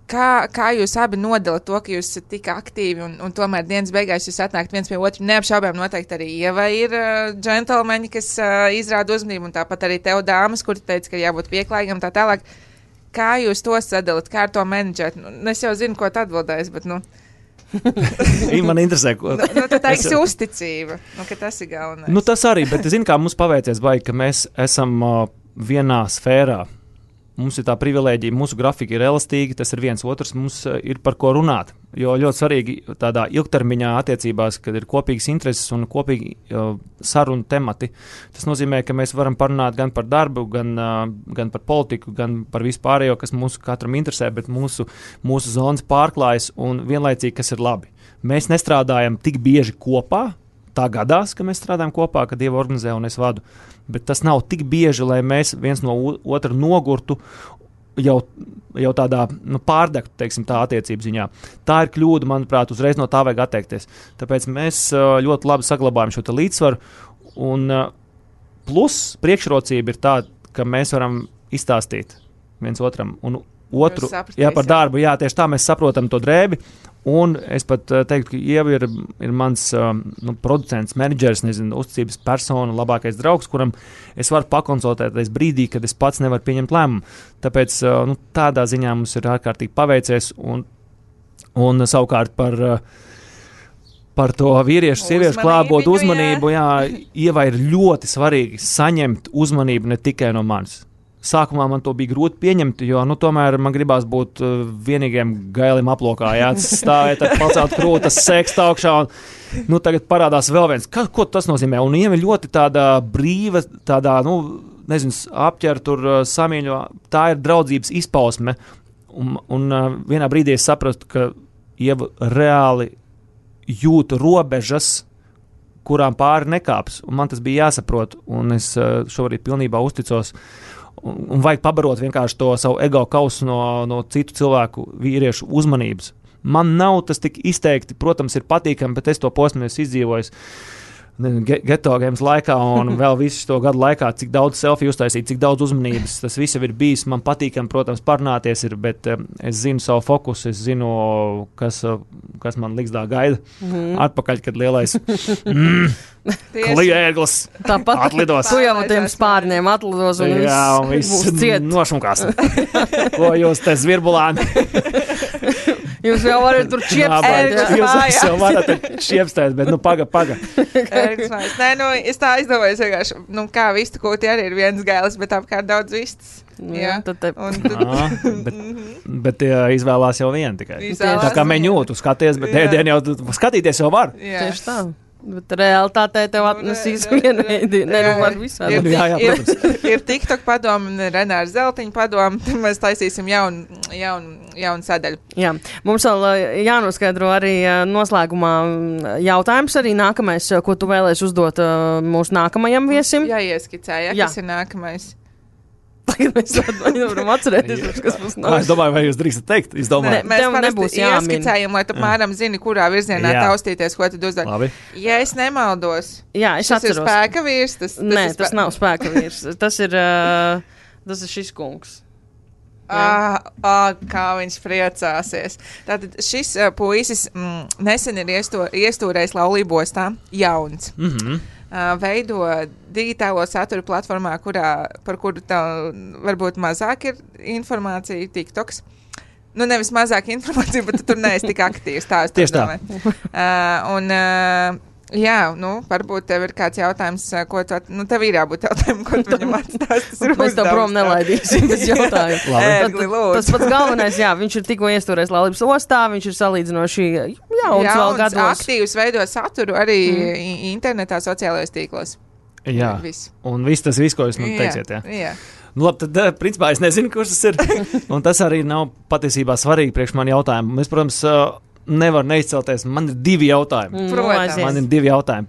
Kā jūs abi nodalat to, ka jūs esat tik aktīvi un tomēr dienas beigās jūs atnākt viens pie otru? Neapšaubām noteikti arī Ieva ir džentelmeņi, kas izrāda uzmanību, un tāpat arī tev dāmas, kuri teica, ka jābūt pieklājīgam tā tālāk. Kā jūs to sadalat? Kā ar to menedžēt? Es jau zinu, ko tu atbildēsi, bet Man interesē, ko... Tu teiksi uzticība, ka tas ir galvenais. Tas arī, bet zini, kā mums paveicies, ka mēs esam vienā sfērā. Mums ir tā privilēģija, mūsu grafika ir elastīga, tas ir viens otrs, mums ir par ko runāt. Jo ļoti svarīgi tādā ilgtermiņā attiecībās, kad ir kopīgas intereses un kopīgi sarunu temati. Tas nozīmē, ka mēs varam parunāt gan par darbu, gan par politiku, gan par vispārējo, kas mūsu katram interesē, bet mūsu zonas pārklājas un vienlaicīgi, kas ir labi. Mēs nestrādājam tik bieži kopā. Tā gadās, ka mēs strādājam kopā, kad Dieva organizē un es vadu, bet tas nav tik bieži, lai mēs viens no otru nogurtu jau tādā pārdegtu, teiksim, tā attiecību ziņā. Tā ir kļūda, manuprāt, uzreiz no tā vajag atteikties. Tāpēc mēs ļoti labi saglabājam šo līdzsvaru, un plus priekšrocība ir tāda, ka mēs varam izstāstīt viens otram un otru, par darbu, tieši tā mēs saprotam to drēbi. Un es pat teiktu, ka Ieva ir mans producents, menedžers, uzticības persona, labākais draugs, kuram es varu pakonsultēties brīdī, kad es pats nevaru pieņemt lēmumu. Tāpēc tādā ziņā mums ir ārkārtīgi paveicies. Un savukārt par to vīriešu, sieviešu klātbūtni uzmanību, Ievai ir ļoti svarīgi saņemt uzmanību ne tikai no manis. Sākumā man to bija grūti pieņemt, jo tomēr man gribās būt vienīgiem gailim aplokā, stāvēt, pacelt krūtas, sekst augšā. Tagad parādās vēl viens. Ko tas nozīmē? Un Ieva ir ļoti tāda brīva, tādā, apķer tur samīļo. Tā ir draudzības izpausme. Un vienā brīdī es sapratu, ka Ieva reāli jūt robežas, kurām pāri nekāps. Un man tas bija jāsaprot. Un es šobrīd pilnībā uzticos. Un vajag pabarot vienkārši to savu ego kausu no citu cilvēku vīriešu uzmanības. Man nav tas tik izteikti, protams, ir patīkami, bet es to posmu esmu izdzīvojis geto games laikā un vēl visu to gadu laikā, cik daudz selfiju uztaisīt, cik daudz uzmanības, tas viss ir bijis. Man patīkami, protams, parunāties ir, bet es zinu savu fokusu, es zinu, kas man ligzdā gaida atpakaļ, kad lielais kliēglis atlidos. Tu jau tiem spārniem atlidos un viss ciet. Nošunkās. Ko jūs te zvirbulāni? Jūs jau varat tur čiepstēt. Jūs jau varat čiepstēt, bet paga. Nē, es tā aizdomājos vienkārši, kā vistu kūti arī ir viens gailis, bet apkārt daudz vistas. Bet izvēlās jau vienu tikai. Tā kā meņū, tu skaties, bet ēdienu jau skatīties jau var. Tieši tā. Bet realitātē tev atnesīs vienu ēdienu, var visādi. Ir TikTok padomu un Renāra Zeltiņa padomu, tad mēs taisīsim jaunu sadaļu. Jā, mums vēl jānoskaidro arī noslēgumā jautājums arī nākamais, ko tu vēlēsi uzdot mūsu nākamajam viesim. Jāieskicēja, kas ir nākamais. Tagad mēs varam atcerēties, kas mums nav. Es domāju, vai jūs drīkstat teikt? Mēs parasti ieskicējam, lai tu apmēram zini, kurā virzienā taustīties, ko tad uzdod. Labi. Ja es nemaldos, es tas ir spēka vīrs. Tas nav spēka vīrs. Tas ir šis kungs. Kā viņš priecāsies. Tātad šis puisis nesen ir iestūrējis laulībostā, jauns. Veido digitālo saturu platformā, par kuru tev varbūt mazāk ir informācija, TikToks. Nevis mazāk informācija, bet tu tur neesi tik aktīvs. Tieši tā. Varbūt tev ir kāds jautājums, ko tu, tev ir jābūt jautājumam, ko tu viņam atstāst. Mēs tev prom nelaidīsim bez jautājumu. Tas pats galvenais, viņš ir tikko iestūrējis laulības ostā, viņš ir salīdzinoši jauns vēl gados. Aktīvs veido saturu arī internetā, sociālajos tīklos. Jā, un viss tas, ko jūs man teiksiet, jā. Labi, tad, principā, es nezinu, kurš tas ir, un tas arī nav patiesībā svarīgi priekš mani jautājumu. Mēs, protams, nevar neizcelties. Man ir divi jautājumi.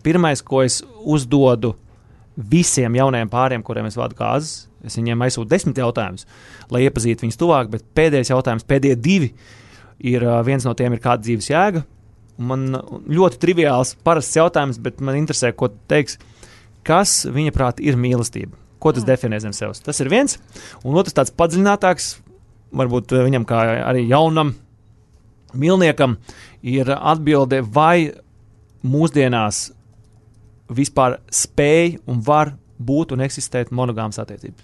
Pirmais, ko es uzdodu visiem jaunajiem pāriem, kuriem es vadu kāzas, es viņiem aizsūtu 10 jautājumus, lai iepazītu viņus tuvāk, bet pēdējais jautājums, pēdējie 2, viens no tiem ir kāda dzīves jēga. Man ļoti triviāls, parasts jautājums, bet man interesē, ko tu teiksi, kas viņa prāt ir mīlestība. Ko tas definē zem sevis? Tas ir viens. Un otrs tāds padziļinātāks, varbūt viņam kā arī jaunam milniekam, ir atbilde, vai mūsdienās vispār spēj un var būt un eksistēt monogāmas attiecības.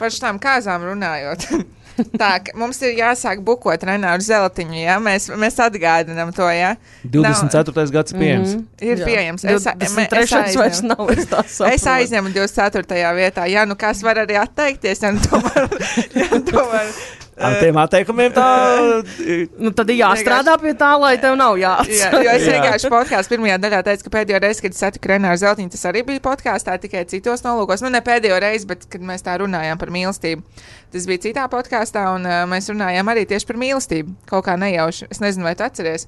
Par šitām kāzām runājot. Tā, mums ir jāsāk bukot Renāru Zeltiņu, ja? Mēs atgādinām to, ja? 24. gads pieejams. Ir pieejams. Vairs nav, es aizņemu 24. vietā. Jā, nu kas var arī atteikties, ja tomēr... Ar tiem atteikumiem tā... Nu, tad ir jāstrādā pie tā, lai tev nav jāatsaka. Jo es vienkārši podkāstu pirmajā daļā teicu, ka pēdējo reizi, kad es satiku Renāru Zeltiņu, tas arī bija podkāstā, tikai citos nolūkos. Nu, ne pēdējo reizi, bet kad mēs tā runājām par mīlestību. Tas bija citā podkāstā, un mēs runājām arī tieši par mīlestību. Kaut kā nejauši. Es nezinu, vai tu atceries.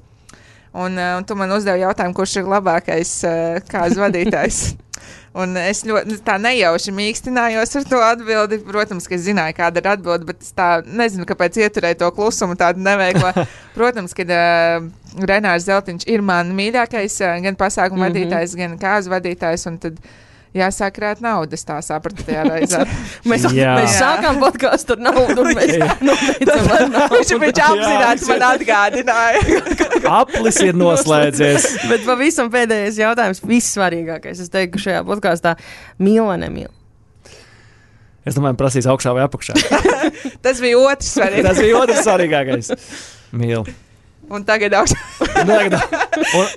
Un tu man uzdevi jautājumu, kurš ir labākais kāzu vadītājs. Un es ļoti tā nejauši mīkstinājos ar to atbildi. Protams, ka es zināju, kāda ir atbilde, bet es tā nezinu, kāpēc ieturēju to klusumu tādu neveiklu. Protams, ka Renārs Zeltiņš ir man mīļākais gan pasākumu vadītājs, gan kāzu vadītājs, un tad jāsāk krāt naudas, tā sapratu tajā reizē. mēs sākām podkāstu ar naudu, un mēs nobeidzam ar naudu. Viņš apzināti man atgādināja. Aplis ir noslēdzies. Bet pavisam pēdējais jautājums, vissvarīgākais. Es teiktu, ka šajā podkāstā mīl vai nemīl? Es domāju, prasīs augšā vai apakšā. Tas bija otrs svarīgākais. Tas bija otrs svarīgākais. Mīl. Un tagad augšā.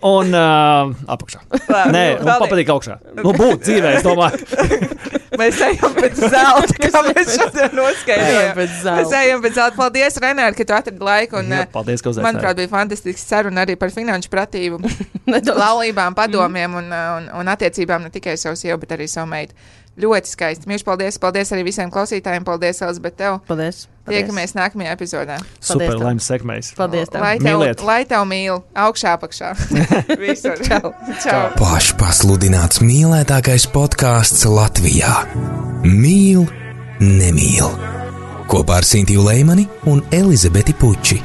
un apakšā. Nē, man patīk augšā. Nu, būt dzīvē, es domāju. Mēs ejam pēc zelta, kā mēs šodien noskaidrojam. Mēs ejam pēc zelta. Paldies, Renāri, ka tu atradi laiku. Un, paldies, ka uzaicinājāt. Manuprāt, bija fantastisks saruna arī par finanšu pratību, laulībām, padomiem un attiecībām ne tikai savu sievu, bet arī savu meitu. Ļoti skaisti. Mīļš, paldies. Paldies arī visiem klausītājiem. Paldies, Elizabete, tev. Paldies. Tiekamies nākamajā epizodē. Super, laimes sekmēs. Paldies tev. Lai tev mīl. Augšā, apakšā. Visur. Čau. Čau. Pašpasludināts mīlētākais podkāsts Latvijā. Mīl, nemīl. Kopā ar Sintiju Leimani un Elizabeti Puči.